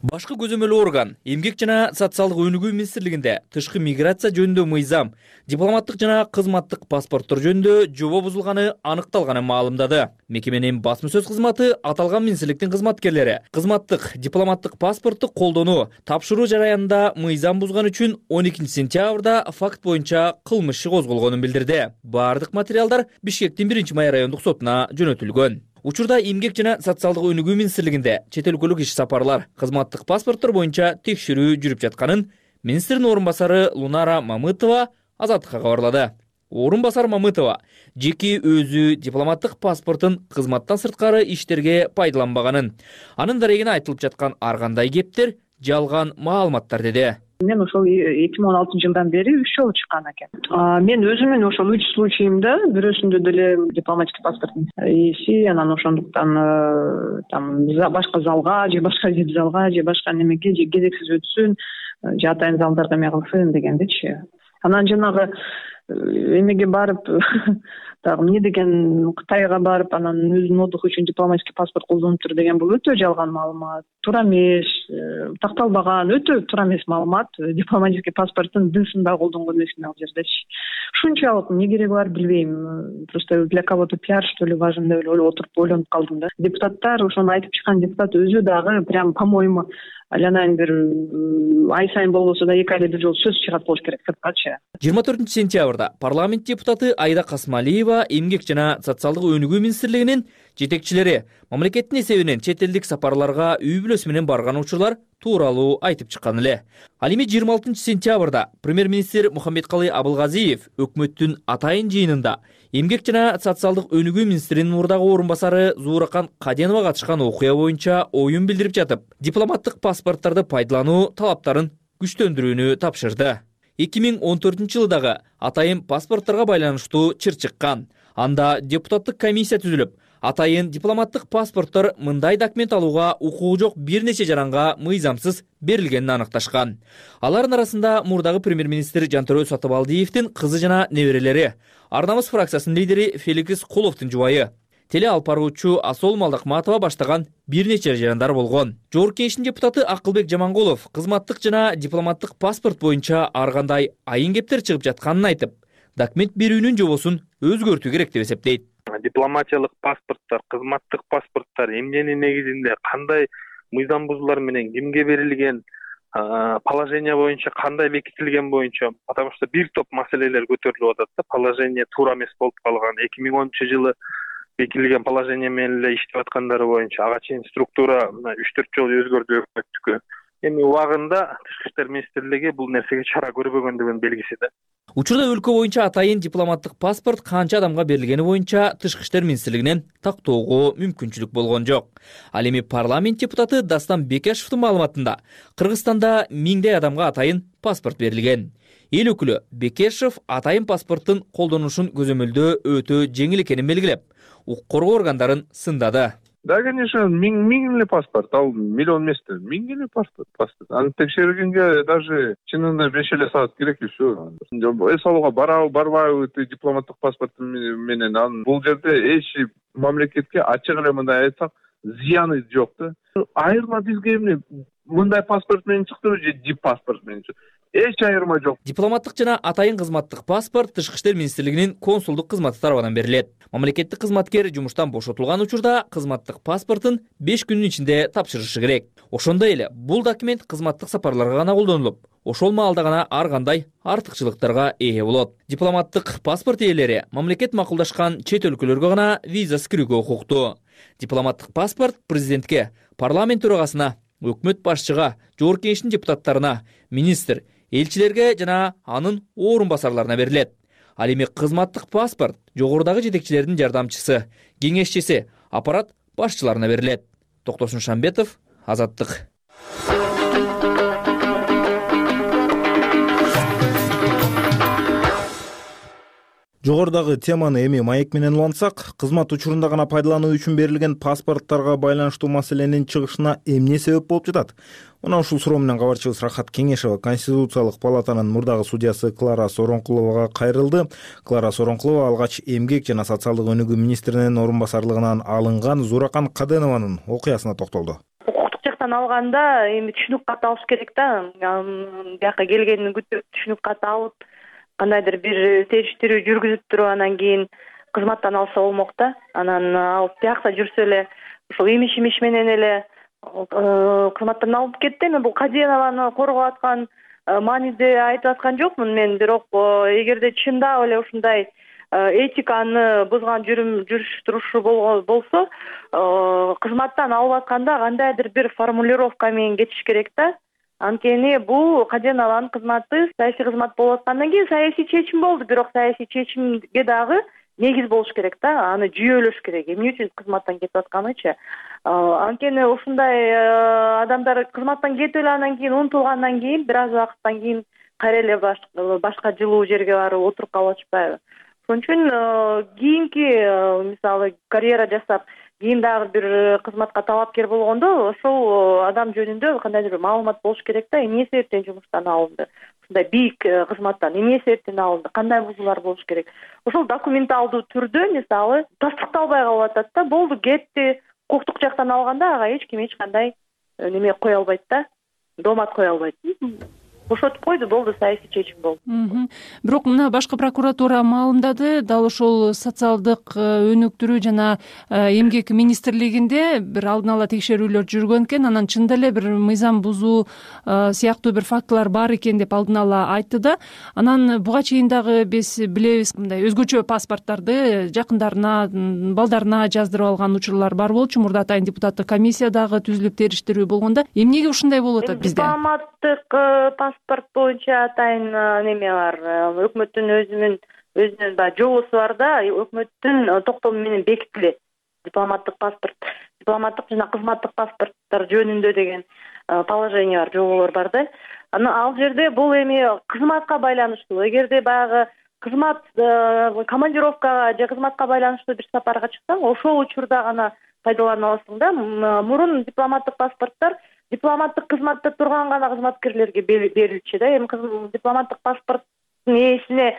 Башкы көзөмөлүү орган Эмгек жана социалдык өнүгүү министрлигинде тышкы миграция жөнүндө мыйзам, дипломаттык жана кызматтык паспорттор жөнүндө жобо бузулганы аныкталганын маалымдады. Мекеменин басма сөз кызматы аталган министрликтин кызматкерлери кызматтык дипломаттык паспортту колдонуу, тапшыруу жараянында мыйзам бузган үчүн 12 сентябрда факт боюнча кылмыш иши козголгонун билдирди. Бардык материалдар Бишкектин 1-май райондук сотуна жөнөтүлгөн. Учурда Эмгек жана социалдык өнүгүү министрлигинде чет өлкөлүк иш сапарлар, кызматтык паспорттор боюнча текшерүү жүрүп жатканын министрдин орун басары Лунара Мамытова Азаттыкка кабарлады. Орун басар Мамытова жеке өзү дипломаттык паспортун кызматтан сырткары иштерге пайдаланбаганын, анын дарегине айтылып жаткан ар кандай кептер жалган маалыматтар деди. Мен ошол 2016-жылдан бери 3 жолу чыккан экен. Мен өзүмдүн ошол 3 случаимда бирөөсүндө деле дипломатический паспорттун ээси, анан ошондуктан там башка залга же башка залга же башка немеге же кезексиз өтсүн, же атайын залдарга эме кылсын дегендичи. Анан жанагы эмеге барып дагы эмне деген Кытайга барып анан өзүнүн отдуху үчүн дипломатический паспорт колдонуптур деген бул өтө жалган маалымат. Туура эмес, такталбаган өтө туура эмес маалымат. Дипломатический паспорттун дысында колдонгон эмесмин ал жердечи. Ушунчалык эмне кереги бар билбейм. Просто для кого-то пиар что ли важен деп эле отуруп ойлонуп калдым да. Депутаттар, ошону айтып чыккан депутат өзү дагы прям по-моему алянайын бир ай сайын болбосо да 2 айда бир жолу сөз чыгат болуш керек сырткачы. 24 сентябрда парламент депутаты Айда Касмалиева эмгек жана социалдык өнүгүү министрлигинин жетекчилери мамлекеттин эсебинен чет элдик сапарларга үй бүлөсү менен барган учурлар тууралуу айтып чыккан эле. Ал эми 26 сентябрда премьер-министр Мухаммедкалый Абылгазиев өкмөттүн атайын жыйынында эмгек жана социалдык өнүгүү министринин мурдагы орун басары Зууракан Каденова катышкан окуя боюнча оюн билдирип жатып, дипломаттык паспорттарды пайдалануу талаптарын күчтөндүрүүнү тапшырды. 2014 жылдагы атайын паспорттарга байланыштуу чыр чыккан. Анда депутаттык комиссия түзүлүп, атайын дипломаттык паспорттор мындай документ алууга укугу жок бир нече жаранга мыйзамсыз берилгенин аныкташкан. Алардын арасында мурдагы премьер-министр Жантөрө Сатыбалдиевдин кызы жана неберелери, Ар намыс фракциясынын лидери Феликс Куловдун жубайы, теле алып баруучу Асол Малдакматова баштаган бир нече жарандар болгон. Жогорку Кеңештин депутаты Акылбек Жамангулов кызматтык жана дипломаттык паспорт боюнча ар кандай айын кептер чыгып жатканын айтып, документ берүүнүн жобосун өзгөртүү керек деп эсептейт. Дипломатиялык паспорттор, кызматтык паспорттор эмненин негизинде кандай мыйзам бузуулар менен кимге берилген, положение боюнча кандай бекитилген боюнча, потому что бир топ маселелер көтөрүлүп атат да. Положение туура эмес болуп калган. 2010 жылы бекитилген положение менен эле иштеп аткандары боюнча ага чейин структура 3-4 жолу өзгөрдү өкмөттүкү. Эми убагында Тышкы иштер министрлиги бул нерсеге чара көрбөгөндүгүнүн белгиси да. Учурда өлкө боюнча атайын дипломаттык паспорт канча адамга берилгени боюнча Тышкы иштер министрлигинен тактоого мүмкүнчүлүк болгон жок. Ал эми парламент депутаты Дастан Бекешевдин маалыматында Кыргызстанда 1000 адамга атайын паспорт берилген. Эл өкүлү Бекешев атайын паспорттун колдонушун көзөмөлдөө өтө жеңил экенин белгилеп, укук коргоо органдарын сындады. Да, конечно, миң эле паспорт, ал миллион эмес да, 1000 эле паспорт. Аны текшергенге даже чынында 5 эле саат керек всё. Эс алууга барбайбы дипломаттык паспорт менен, анын бул жерде эч мамлекетке ачык эле мындай айтсак, зыяны жок да. Айырма бизге эмне мындай паспорт менен чыктыбы же дип паспорт менен чыкты? Эч айырма жок. Дипломаттык жана атайын кызматтык паспорт Тышкы иштер министрлигинин консулдук кызматы тарабынан берилет. Мамлекеттик кызматкер жумуштан бошотулган учурда кызматтык паспортун 5 күнүн ичинде тапшырышы керек. Ошондой эле бул документ кызматтык сапарларга гана колдонулуп, ошол маалда гана ар кандай артыкчылыктарга ээ болот. Дипломаттык паспорт ээлери мамлекет макулдашкан чет өлкөлөргө гана виза кирүүгө укуктуу. Дипломаттык паспорт президентке, парламент төрагасына, өкмөт башчыга, Жогорку Кеңештин депутаттарына, министр, элчилерге жана анын орун басарларына берилет. Ал эми кызматтык паспорт жогорудагы жетекчилердин жардамчысы, кеңешчиси, аппарат башчыларына берилет. Токтосун Шамбетов, Азаттык. Жогорудагы теманы эми маек менен улантсак, кызмат учурунда гана пайдалануу үчүн берилген паспорттарга байланыштуу маселенин чыгышына эмне себеп болуп жатат? Мына ушул суроо менен кабарчыбыз Рахат Кеңешова Конституциялык палатанын мурдагы судьясы Клара Соронкуловага кайрылды. Клара Соронкулова алгач эмгек жана социалдык өнүгүү министринин орун басарлыгынан алынган Зууракан Каденованын окуясына токтолду. Укуктук жактан алганда эми түшүнүк кат алыш керек да. Бияка келгенин күтүп түшүнүк кат алып, кандайдыр бир териштирүү жүргүзүп туруп анан кийин кызматтан алса болмок да. Анан алып биякта жүрсө эле ушул имиш менен эле кызматтан алып кетти. Мен бул Каденованы коргоп аткан мааниде айтып аткан жокмун мен, бирок эгерде чындап эле ушундай этиканы бузган жүрүш турушу болсо, кызматтан алып атканда кандайдыр бир формулировка менен кетиш керек да. Анткени бул Каденованын кызматы саясий кызмат болуп аткандан кийин саясий чечим болду, бирок саясий чечимге дагы негиз болуш керек да, аны жүйөлөш керек. Эмне үчүн кызматтан кетип атканычы. Анткени ушундай адамдар кызматтан кетип эле анан кийин унутулгандан кийин бир аз убакыттан кийин кайра эле башка жылуу жерге барып отуруп калып атышпайбы. Ошон үчүн кийинки мисалы карьера жасап кийин дагы бир кызматка талапкер болгондо ошол адам жөнүндө кандайдыр бир маалымат болуш керек да, эмне себептен жумуштан алынды, ушундай бийик кызматтан эмне себептен алынды, кандай бузуулар болуш керек. Ошол документалдуу түрдө мисалы тастыкталбай калып атат да, болду кетти, укуктук жактан алганда ага эч ким эч кандай неме кое албайт да, доомат кое албайт. Бошотуп койду, болду, саясий чечим болду. Бирок мына башкы прокуратура маалымдады, дал ошол социалдык өнүктүрүү жана эмгек министрлигинде бир алдын ала текшерүүлөр жүргөн экен, анан чынында эле бир мыйзам бузуу сыяктуу бир фактылар бар экен деп алдын ала айтты да. Анан буга чейин дагы биз билебиз, мындай өзгөчө паспорттарды жакындарына, балдарына жаздырып алган учурлар бар болчу. Мурда атайын депутаттык комиссия дагы түзүлүп териштирүү болгондо эмнеге ушундай болуп атат бизде? Дипломаттык паспорт боюнча атайын неме бар. Өкмөттүн өзүнүн жобосу бар да, өкмөттүн токтому менен бекитилет. Дипломаттык паспорт, дипломаттык жана кызматтык паспорттор жөнүндө деген положение бар, жоболор бар да. Ал жерде бул эми кызматка байланыштуу. Эгерде баягы кызмат командировкага же кызматка байланыштуу бир сапарга чыксаң, ошол учурда гана пайдалана аласың да. Мурун дипломаттык паспорттор дипломаттык кызматта турган гана кызматкерлерге берилчү да. Эми дипломаттык паспорттун ээсине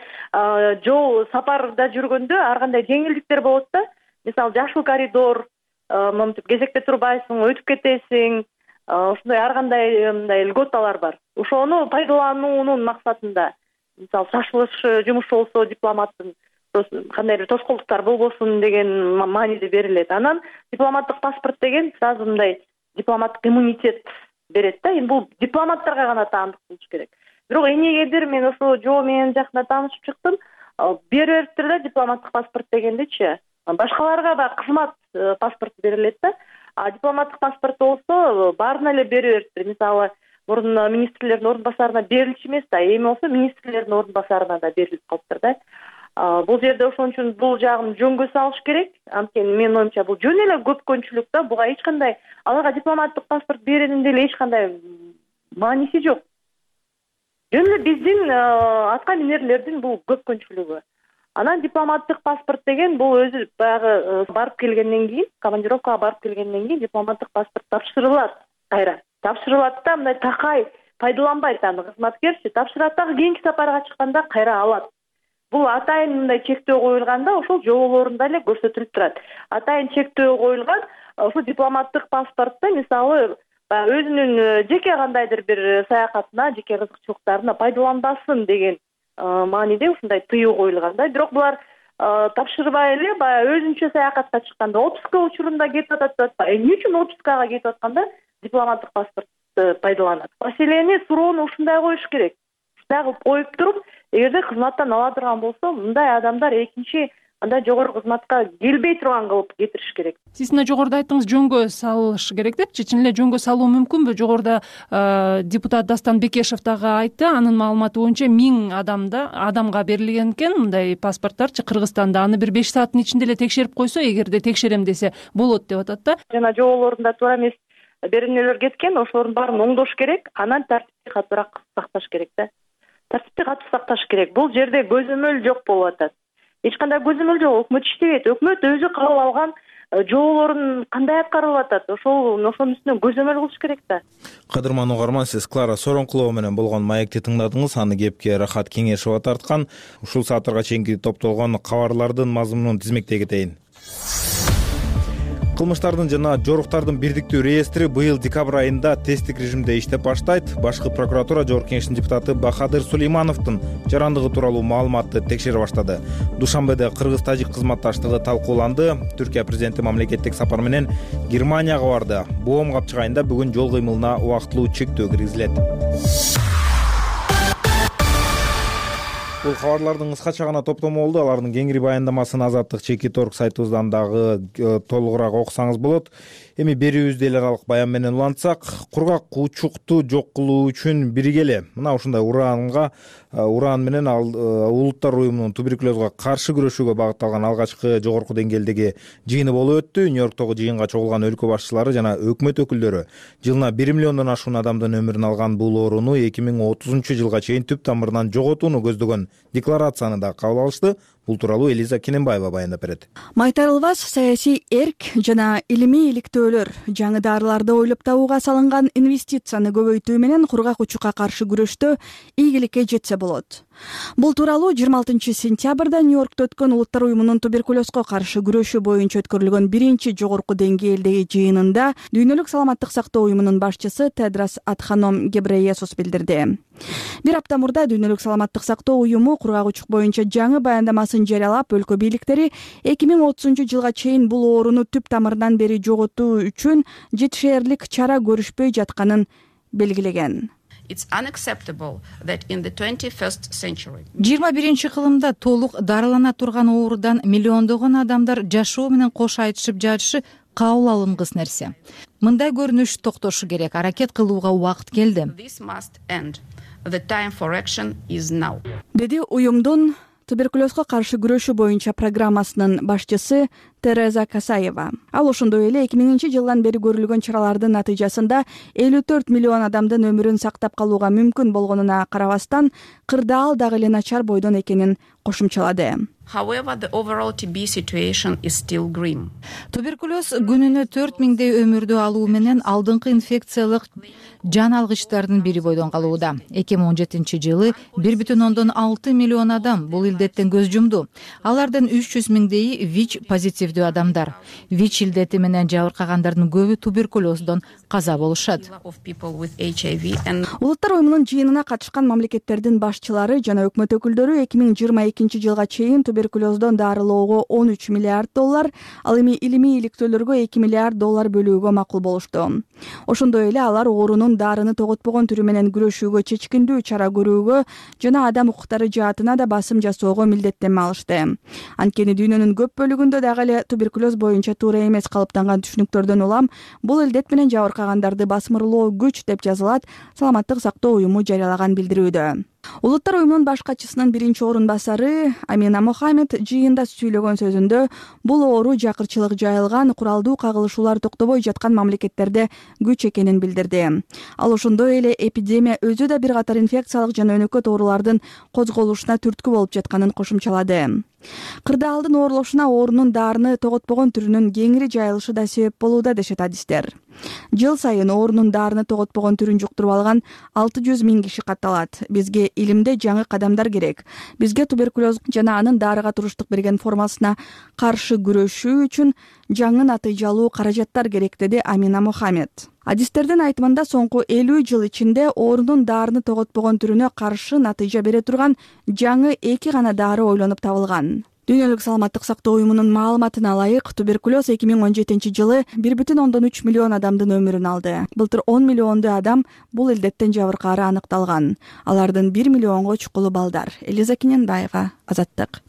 жол сапарда жүргөндө ар кандай жеңилдиктер болот да. Мисалы жашыл коридор, мынтип кезекте турбайсың, өтүп кетесиң, ушундай ар кандай мындай льготалар бар. Ошону пайдалануунун максатында, мисалы шашылыш жумушу болсо дипломаттын кандай бир тоскоолдуктар болбосун деген мааниде берилет. Анан дипломаттык паспорт деген сразу мындай дипломаттык иммунитет берет да. Эми бул дипломаттарга гана таандык болуш керек. Бирок эмнегедир мен ошо жоо менен жакында таанышып чыктым. Бериптир эле дипломаттык паспорт дегендичи. Башкаларга да кызмат паспорт берилет да. А дипломаттык паспорт болсо баарына эле бериптир. Мисалы мурун министрлердин ордун басарына берилчү эмес да, эми болсо министрлердин ордун басарына да берилип калыптыр да. Бул жерде ошон үчүн бул жагын жөнгө салыш керек. Анткени менин оюмча бул жөн эле көпкөнчүлүк да. Буга эч кандай аларга дипломаттык паспорт берүүнүн деле эч кандай мааниси жок. Жөн эле биздин атка минерлердин бул көпкөнчүлүгү. Анан дипломаттык паспорт деген бул өзү баягы барып келгенден кийин, командировкага барып келгенден кийин дипломаттык паспорт тапшырылат кайра. Тапшырылат да, мындай такай пайдаланбайт аны кызматкерчи. Тапшырат дагы кийинки сапарга чыкканда кайра алат. Бул атайын мындай чектөө коюлганда ошол жоболорунда эле көрсөтүлүп турат. Атайын чектөө коюлган ошол дипломаттык паспортто мисалы өзүнүн жеке кандайдыр бир саякатына, жеке кызыкчылыктарына пайдаланбасын деген мааниде ушундай тыюу коюлган да. Бирок булар тапшырбай эле баягы өзүнчө саякатка чыкканда отпуска учурунда кетип атат. Эмне үчүн отпускага кетип атканда дипломаттык паспорт пайдаланат? Маселени суроону ушундай коюш керек. Дагы коюп туруп, эгерде кызматтан ала турган болсо, мындай адамдар экинчи андай жогорку кызматка келбей турган кылып кетириш керек. Сиз мына жогоруда айттыңыз, жөнгө салыш керек депчи. Чын эле жөнгө салуу мүмкүнбү? Жогоруда депутат Дастан Бекешев дагы айтты. Анын маалыматы боюнча 1000 адамга берилген экен мындай паспорттарчы Кыргызстанда. Аны бир 5 сааттын ичинде эле текшерип койсо, эгерде текшерем десе болот деп атат да. Жана жоболорунда туура эмес беренелер кеткен, ошолордун баарын оңдош керек. Анан тартипти катуураак сакташ керек да. Тартипти катуу сакташ керек. Бул жерде көзөмөл жок болуп атат. Эч кандай көзөмөл жок. Өкмөт иштебейт. Өкмөт өзү кабыл алган жоболорун кандай аткарылып атат, ошонун үстүнөн көзөмөл кылыш керек да. Кадырман угарман, сиз Клара Соронкулова менен болгон маекти тыңдадыңыз. Аны кепке Рахат Кеңешова тарткан. Ушул сааттарга чейинки топтолгон кабарлардын мазмунун тизмектей кетейин. Кылмыштардын жана жоруктардын бирдиктүү реестри быйыл декабрь айында тесттик режимде иштеп баштайт. Башкы прокуратура Жогорку Кеңештин депутаты Бахадыр Сулеймановдун жарандыгы тууралуу маалыматты текшере баштады. Душанбеде кыргыз-тажик кызматташтыгы талкууланды. Түркия президенти мамлекеттик сапар менен Германияга барды. Боом капчык айында бүгүн жол кыймылына убактылуу чектөө киргизилет. Бул кабарлардын кыскача гана топтому болду. Алардын кеңири баяндамасын Азаттык чеки торг сайтыбыздан дагы толугураак окусаңыз болот. Эми берүүбүздү эл аралык баян менен улантсак, кургак учукту жок кылуу үчүн биригеле. Мына ушундай уран менен улуттар уюмунун туберкулезго каршы күрөшүүгө багытталган алгачкы жогорку деңгээлдеги жыйыны болуп өттү. Нью-Йорктогу жыйынга чогулган өлкө башчылары жана өкмөт өкүлдөрү жылына 1 миллиондон ашуун адамдын өмүрүн алган бул ооруну 2030 жылга чейин түп тамырынан жоготууну көздөгөн декларацияны да кабыл алышты. Бул тууралуу Элиза Кененбаева баяндап берет. Майтарылбас саясий эрк жана илимий иликтөөлөр жаңы дарыларды ойлоп табууга салынган инвестицияны көбөйтүү менен кургак учукка каршы күрөштө ийгиликке жетсе болот. Бул тууралуу 26 сентябрда Нью-Йоркто өткөн Улуттар уюмунун туберкулезго каршы күрөшүү боюнча өткөрүлгөн биринчи жогорку деңгээлдеги жыйынында Дүйнөлүк саламаттык сактоо уюмунун башчысы Тедрос Адханом Гебрейесус билдирди. Бир апта мурда Дүйнөлүк саламаттык сактоо уюму кургак учук боюнча жаңы баяндамасын жарыялап, өлкө бийликтери 2030 жылга чейин бул ооруну түп тамырынан бери жоготуу үчүн жетишээрлик чара көрүшпөй жатканын белгилеген. 21 кылымда толук дарылана турган оорудан миллиондогон адамдар жашоо менен кош айтышып жатышы кабыл алынгыс нерсе. Мындай көрүнүш токтошу керек. Аракет кылууга убакыт келди. Деди уюмдун туберкулезго каршы күрөшүү боюнча программасынын башчысы Тереза Касаева. Ал ошондой эле 2000 жылдан бери көрүлгөн чаралардын натыйжасында 54 миллион адамдын өмүрүн сактап калууга мүмкүн болгонуна карабастан, кырдаал дагы эле начар бойдон экенин кошумчалады. Туберкулез күнүнө 4000 өмүрдү алуу менен алдыңкы инфекциялык жан алгычтардын бири бойдон калууда. 2017 жылы 1,6 миллион адам бул илдеттен көз жумду. Алардын 300 миңдейи ВИЧ позитивдүү адамдар. ВИЧ илдети менен жабыркагандардын көбү туберкулездон каза болушат. Улуттар уюмунун жыйынына катышкан мамлекеттердин башчылары жана өкмөт өкүлдөрү 2022 жылга чейин туберкулездон дарылоого 13 миллиард доллар, ал эми илимий иликтөөлөргө 2 миллиард доллар бөлүүгө макул болушту. Ошондой эле алар оорунун дарыны тоготпогон түрү менен күрөшүүгө чечкиндүү чара көрүүгө жана адам укуктары жаатына да басым жасоого милдеттенме алышты. Анткени дүйнөнүн көп бөлүгүндө дагы эле туберкулез боюнча туура эмес калыптанган түшүнүктөрдөн улам бул илдет менен жабыркагандарды басмырлоо күч деп жазылат Саламаттык сактоо уюму жарыялаган билдирүүдө. Улуттар уюмунун баш катчысынын биринчи орун басары Амина Мохаммед жыйында сүйлөгөн сөзүндө бул оору жакырчылык жайылган, куралдуу кагылышуулар токтобой жаткан мамлекеттерде күч экенин билдирди. Ал ошондой эле эпидемия өзү да бир катар инфекциялык жана өнөкөт оорулардын козголушуна түрткү болуп жатканын кошумчалады. Кырдаалдын оорлошуна оорунун дарыны тоготпогон түрүнүн кеңири жайылышы да себеп болууда дешет адистер. Жыл сайын оорунун дарыны тоготпогон түрүн жуктуруп алган 600 миң киши катталат. Бизге илимде жаңы кадамдар керек. Бизге туберкулез жана анын дарыга туруштук берген формасына каршы күрөшүү үчүн жаңы натыйжалуу каражаттар керек, деди Амина Мохаммед. Адистердин айтымында соңку 50 жыл ичинде оорунун дарыны тоготпогон түрүнө каршы натыйжа бере турган жаңы 2 гана дары ойлонуп табылган. Дүйнөлүк саламаттык сактоо уюмунун маалыматына ылайык, туберкулез 2017 жылы 1,3 миллион адамдын өмүрүн алды. Былтыр 10 миллионду адам бул илдеттен жабыркаары аныкталган. Алардын 1 миллионго чукулу балдар. Элиза Кененбаева, Азаттык.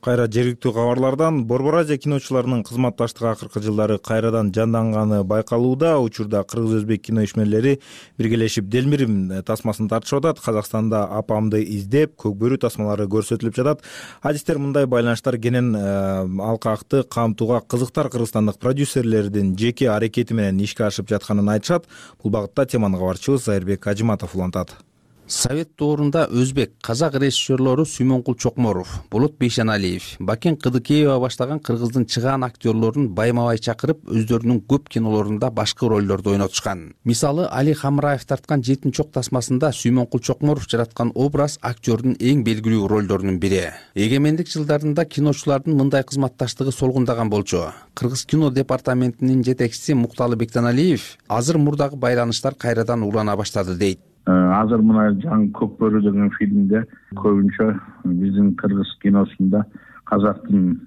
Кайра жергиликтүү кабарлардан Борбор Азия киночуларынын кызматташтыгы акыркы жылдары кайрадан жанданганы байкалууда. Учурда кыргыз-өзбек кино ишмерлери биргелешип Делмирим тасмасын тартышып атат. Казакстанда Апамды издеп көк бөрү тасмалары көрсөтүлүп жатат. Адистер мындай байланыштар кенен алкакты камтууга кызыктар кыргызстандык продюсерлердин жеке аракети менен ишке ашып жатканын айтышат. Бул багытта теманы кабарчыбыз Айырбек Ажиматов улантат. Совет доорунда өзбек, казак режиссерлору Сүймөнкул Чокморов, Болот Бейшеналиев, Бакен Кыдыкеева баштаган кыргыздын чыгаан актерлорун байма-бай чакырып, өздөрүнүн көп кинолорунда башкы ролдорду ойнотушкан. Мисалы, Али Хамраев тарткан Жетин чок тасмасында Сүймөнкул Чокморов жараткан образ актерлордун эң белгилүү ролдорунун бири. Эгемендик жылдарында киночулардын мындай кызматташтыгы солгундаган болчу. Кыргыз кино департаментинин жетекчиси Мукталы Бектеналиев азыр мурдагы байланыштар кайрадан улана баштады дейт. Азыр мына жаңы Көк бөрү деген фильмде көбүнчө биздин кыргыз киносунда казактын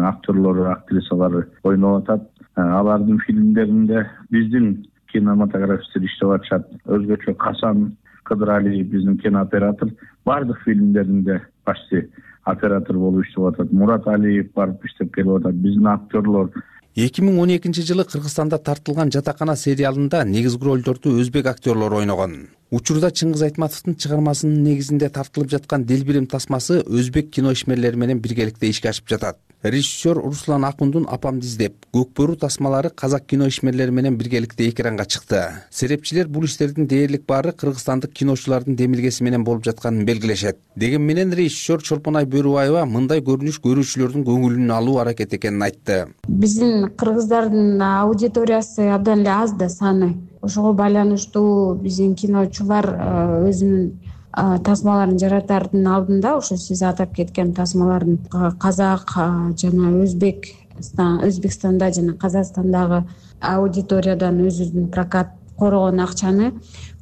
актерлору, актрисалары ойноп атат. Алардын фильмдеринде биздин кинематографисттер иштеп атышат. Өзгөчө Касан Кыдыралиев биздин кинооператор бардык фильмдеринде почти оператор болуп иштеп атат. Мурат Алиев барып иштеп келип атат. Биздин актерлор 2012 жылы Кыргызстанда тартылган Жатакана сериалында негизги ролдорду өзбек актерлору ойногон. Учурда Чыңгыз Айтматовдун чыгармасынын негизинде тартылып жаткан Делбирим тасмасы өзбек кино ишмерлери менен биргеликте ишке ашып жатат. Режиссер Руслан Акундун Апамды издеп Көкбөрү тасмалары казак кино ишмерлери менен биргеликте экранга чыкты. Серепчилер бул иштердин дээрлик баары кыргызстандык киночулардын демилгеси менен болуп жатканын белгилешет. Деген менен режиссер Чолпонай Бөрүбаева мындай көрүнүш көрүүчүлөрдүн көңүлүн алуу аракет экенин айтты. Биздин кыргыздардын аудиториясы абдан эле аз да саны. Ошого байланыштуу биздин киночулар өзүнүн тасмаларын жаратардын алдында ошо сиз атап кеткен тасмалардын казак жана Өзбекстанда жана Казакстандагы аудиториядан өзүбүздүн прокат корогон акчаны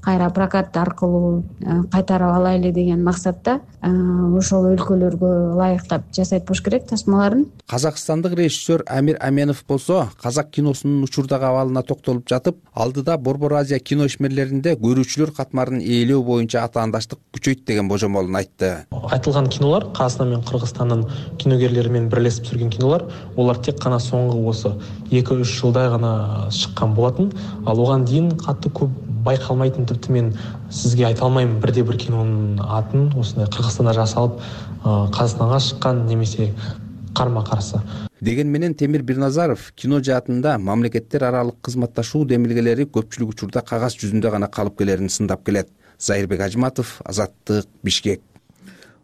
кайра прокат аркылуу кайтарып алайлы деген максатта ошол өлкөлөргө ылайыктап жасайт болуш керек тасмаларын. Казакстандык режиссер Амир Аменов болсо казак киносунун учурдагы абалына токтолуп жатып, алдыда Борбор Азия кино ишмерлеринде көрүүчүлөр катмарын ээлөө боюнча атаандаштык күчөйт деген божомолун айтты. Айтылган кинолор Казакстан менен Кыргызстандын киногерлери менен бирлешип түзүлгөн кинолор, олар тек гана соңку осы 2-3 жылда гана чыккан болотун. Ал оған дейин катты көп байкалмайтын, типти мен сизге айта алмайм бирде бир кинонун атын осундай Кыргызстанда жасалып Казакстанга чыккан немесе карма карсы. Деген менен Темир Бирназаров кино жаатында мамлекеттер аралык кызматташуу демилгелери көпчүлүк учурда кагаз жүзүндө гана калып келерин сындап келет. Зайырбек Ажматов, Азаттык, Бишкек.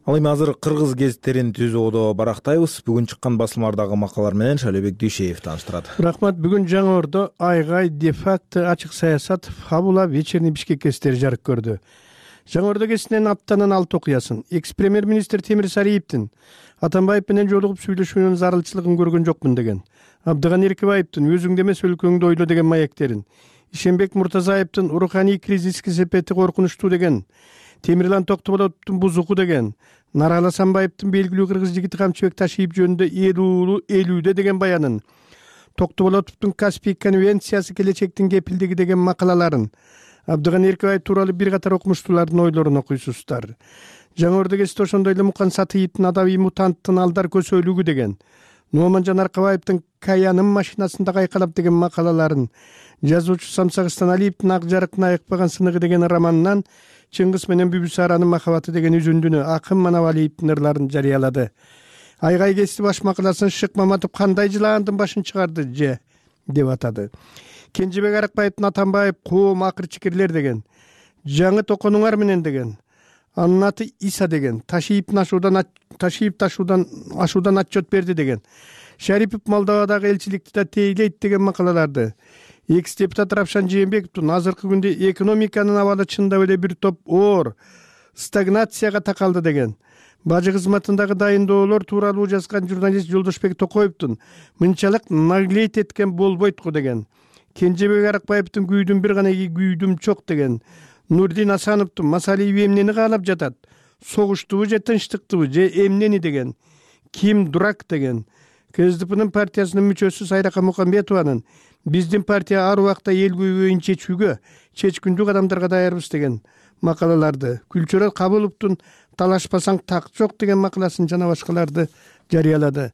Ал эми азыр кыргыз гезиттерин түзүүдө барактайбыз. Бүгүн чыккан басылмардагы макалалар менен Шалебек Дүйшеев тааныштырат. Рахмат. Бүгүн Жаңы Ордо Айгай, Де-факто, Ачык саясат, Фабула, Вечерний Бишкек гезиттери жарык көрдү. Жаңы Ордо гезитинен аптанын 6 окуясын. Экс-премьер-министр Темир Сариевдин Атамбаев менен жолугуп сүйлөшүүнүн зарылчылыгын көргөн жокмун деген, Абдыган Эркебаевдин өзүңдө эмес өлкөңдү ойло деген маектерин, Ишенбек Муртазаевдин руханий кризиске сепети коркунучтуу деген, Темирлан Токтоболотовдун бузуку деген, Нарал Асанбаевдин белгилүү кыргыз жигити Камчыбек Ташиев жөнүндө элүүдө деген баянын, Токтоболотовдун Каспий конвенциясы келечектин кепилдиги деген макалаларын, Абдыган Эркебаев тууралуу бир катар окумуштуулардын ойлорун окуйсуздар. Жаңы Ордо гезити ошондой эле Мукан Сатыевдин Адабий мутанттын алдар көсөлүгү деген, Нуоманжан Аркабаевдин Каянын машинасында кайкалап деген макалаларын, жазуучу Самсак Станалиевдин Ак жарыктын айыкпаган сыныгы деген романынан Чыңгыз менен Бүбүсаранын махабаты деген үзүндүнү Акын Манавалиевдин ырларын жарыялады. Айгай гезити баш макаласын Шык Маматов кандай жылаандын башын чыгарды же деп атады. Кенжебек Арыкбаевдин Атамбаев коом акыр чикирлер деген, Жаңы токонуңар менен деген, анын аты Иса деген, Ташиев ашуудан отчет берди деген, Шарипов Молдовадагы элчиликти да тейлейт деген макалаларды, экс-депутат Равшан Жээнбековдун азыркы күндө экономиканын абалы чындап эле бир топ оор стагнацияга такалды деген, бажы кызматындагы дайындоолор тууралуу жазган журналист Жолдошбек Токоевдун мынчалык наглеть эткен болбойт го деген, Кенжебек Арыкбаевдин күйдүм бир гана күйдүм чок деген, Нурдин Асановдун Масалиев эмнени каалап жатат, согуштубу же тынчтыктыбы же эмнени деген, Ким дурак деген, КСДПнын партиясынын мүчөсү Сайрака Мукамбетованын биздин партия ар убакта эл көйгөйүн чечкүндүк адамдарга даярбыз деген макалаларды, Күлчөрөт Кабыловдун талашпасаң так жок деген макаласын жана башкаларды жарыялады.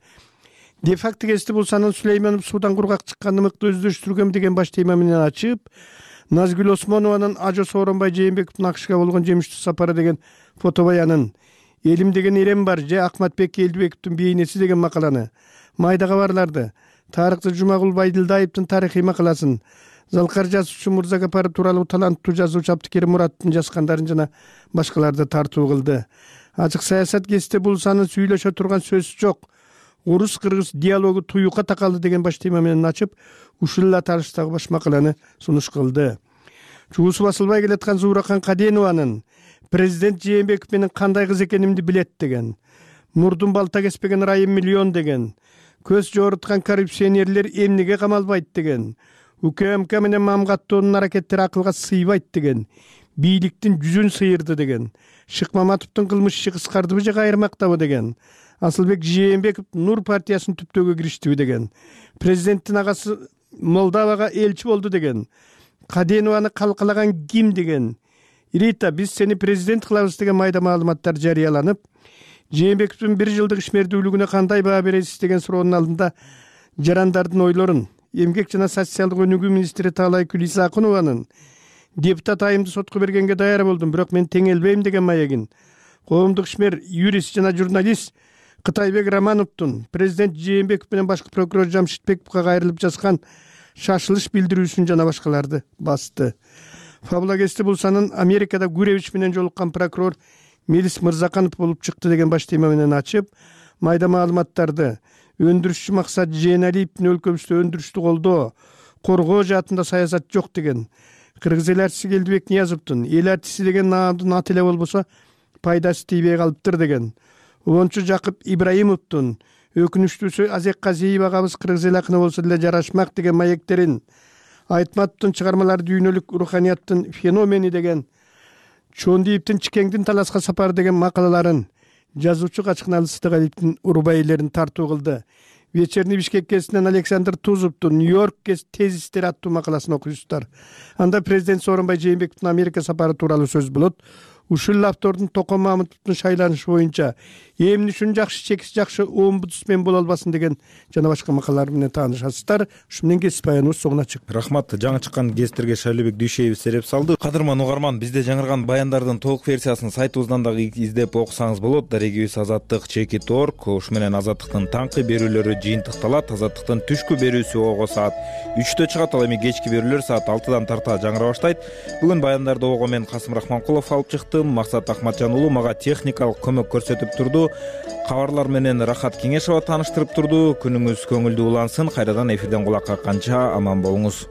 Де-факто гезити Булсанын Сулейманов суудан кургак чыкканды мыкты өздөштүргөм деген баш тема менен ачып, Назгүл Осмонованын Ажо Сооронбай Жээнбековдун АКШга болгон жемиштүү сапары деген фотобаянын, Элим деген эрем бар же Акматбек Элдибековдун бейнеси деген макаланы, майда кабарларды, Тарыкты Жумагул Байдылдаевдин тарыхый макаласын, Залкар жазуучу Мурзагапаров тууралуу таланттуу жазуучу Абдыкерим Мураттын жазгандарын жана башкаларды тартуу кылды. Ачык саясат гезити Булсанын сүйлөшө турган сөз жок, Орус-кыргыз диалогу туюкка такалды деген баш тема менен ачып, ушул эле аталыштагы баш макаланы сунуш кылды. Чуусу басылбай келаткан Зууракан Каденованын президент Жээнбеков менен кандай кыз экенимди билет деген, мурдун балта кеспеген Райым миллион деген, көз жоруткан коррупционерлер эмнеге камалбайт деген, УКМК менен Мамгаттоонун аракеттери акылга сыйбайт деген, бийликтин жүзүн сыйырды деген, Шык Маматовдун кылмыш иши кыскардыбы же кайрымактабы деген, Асылбек Жээнбеков Нур партиясын түптөөгө кириштиби деген, президенттин агасы Молдовага элчи болду деген, Каденованы калкалаган ким деген, Рита биз сени президент кылабыз деген майда маалыматтар жарыяланып, Жээнбековдун 1 жылдык ишмердүүлүгүнө кандай баа бересиз деген суроонун алдында жарандардын ойлорун эмгек жана социалдык өнүгүү министри Таалай Күлисакунованын депутат айымды сотко бергенге даяр болдум, бирок мен теңелбейм деген маегин коомдук ишмер, юрист жана журналист Кытайбек Романовдун президент Жээнбеков менен башкы прокурор Жамшитбековго кайрылып жазган шашылыш билдирүүсүн жана башкаларды басты. Фабулагести Булсанын Америкада Гуревич менен жолуккан прокурор Мелис Мырзаканов болуп чыкты деген баш тема менен ачып, майда маалыматтарды өндүрүшчү Максат Жээналиевдин өлкөбүздө өндүрүштү колдоо, коргоо жаатында саясат жок деген, кыргыз эл артиси Келдибек Ниязовдун эл артиси деген наамдын аты эле болбосо пайдасы тийбей калыптыр деген, Улончу Жакып Ибраимовдун өкүнүчтүүсү Азек Казиев агабыз кыргыз эл акыны болсо деле жарашмак деген маектерин, Айтматовдун чыгармалары дүйнөлүк руханияттын феномени деген, Чондиевдин Чикеңдин таласка сапары деген макалаларын, жазуучу Качкыналы Сыдыгалиевдин урбайлерин тартуу кылды. Вечерний Бишкек гезитинен Александр Тузовдун Нью-Йорк тезистери аттуу макаласын окуйсуздар. Анда президент Сооронбай Жээнбековдун Америка сапары тууралуу сөз болот. Ушул автордун Токон Мамытовдун шайланышы боюнча эмне үчүн жакшы чекис жакшы омбудсмен боло албасын деген жана башка макалалар менен таанышасыздар. Ушу менен кесип баяныбыз соңуна чыкты. Рахмат. Жаңы чыккан гезиттерге Шайлообек Дүйшеев сереп салды. Кадырман угарман, бизде жаңырган баяндардын толук версиясын сайтыбыздан дагы издеп окусаңыз болот. Дарегибиз azattik.org. Ушу менен Азаттыктын таңкы берүүлөрү жыйынтыкталат. Азаттыктын түшкү берүүсү ого саат 3-тө чыгат, ал эми кечки берүүлөр саат 6-дан тарта жаңыра баштайт. Бүгүн баяндарды ого мен Касым Рахманкулов алып чыктым. Максат Ахматжан уулу мага техникалык көмөк көрсөтүп турду. Кабарлар менен Рахат Кеңешова тааныштырып турду. Күнүңүз көңүлдүү улансын. Кайрадан эфирден кулак какканча аман болуңуз.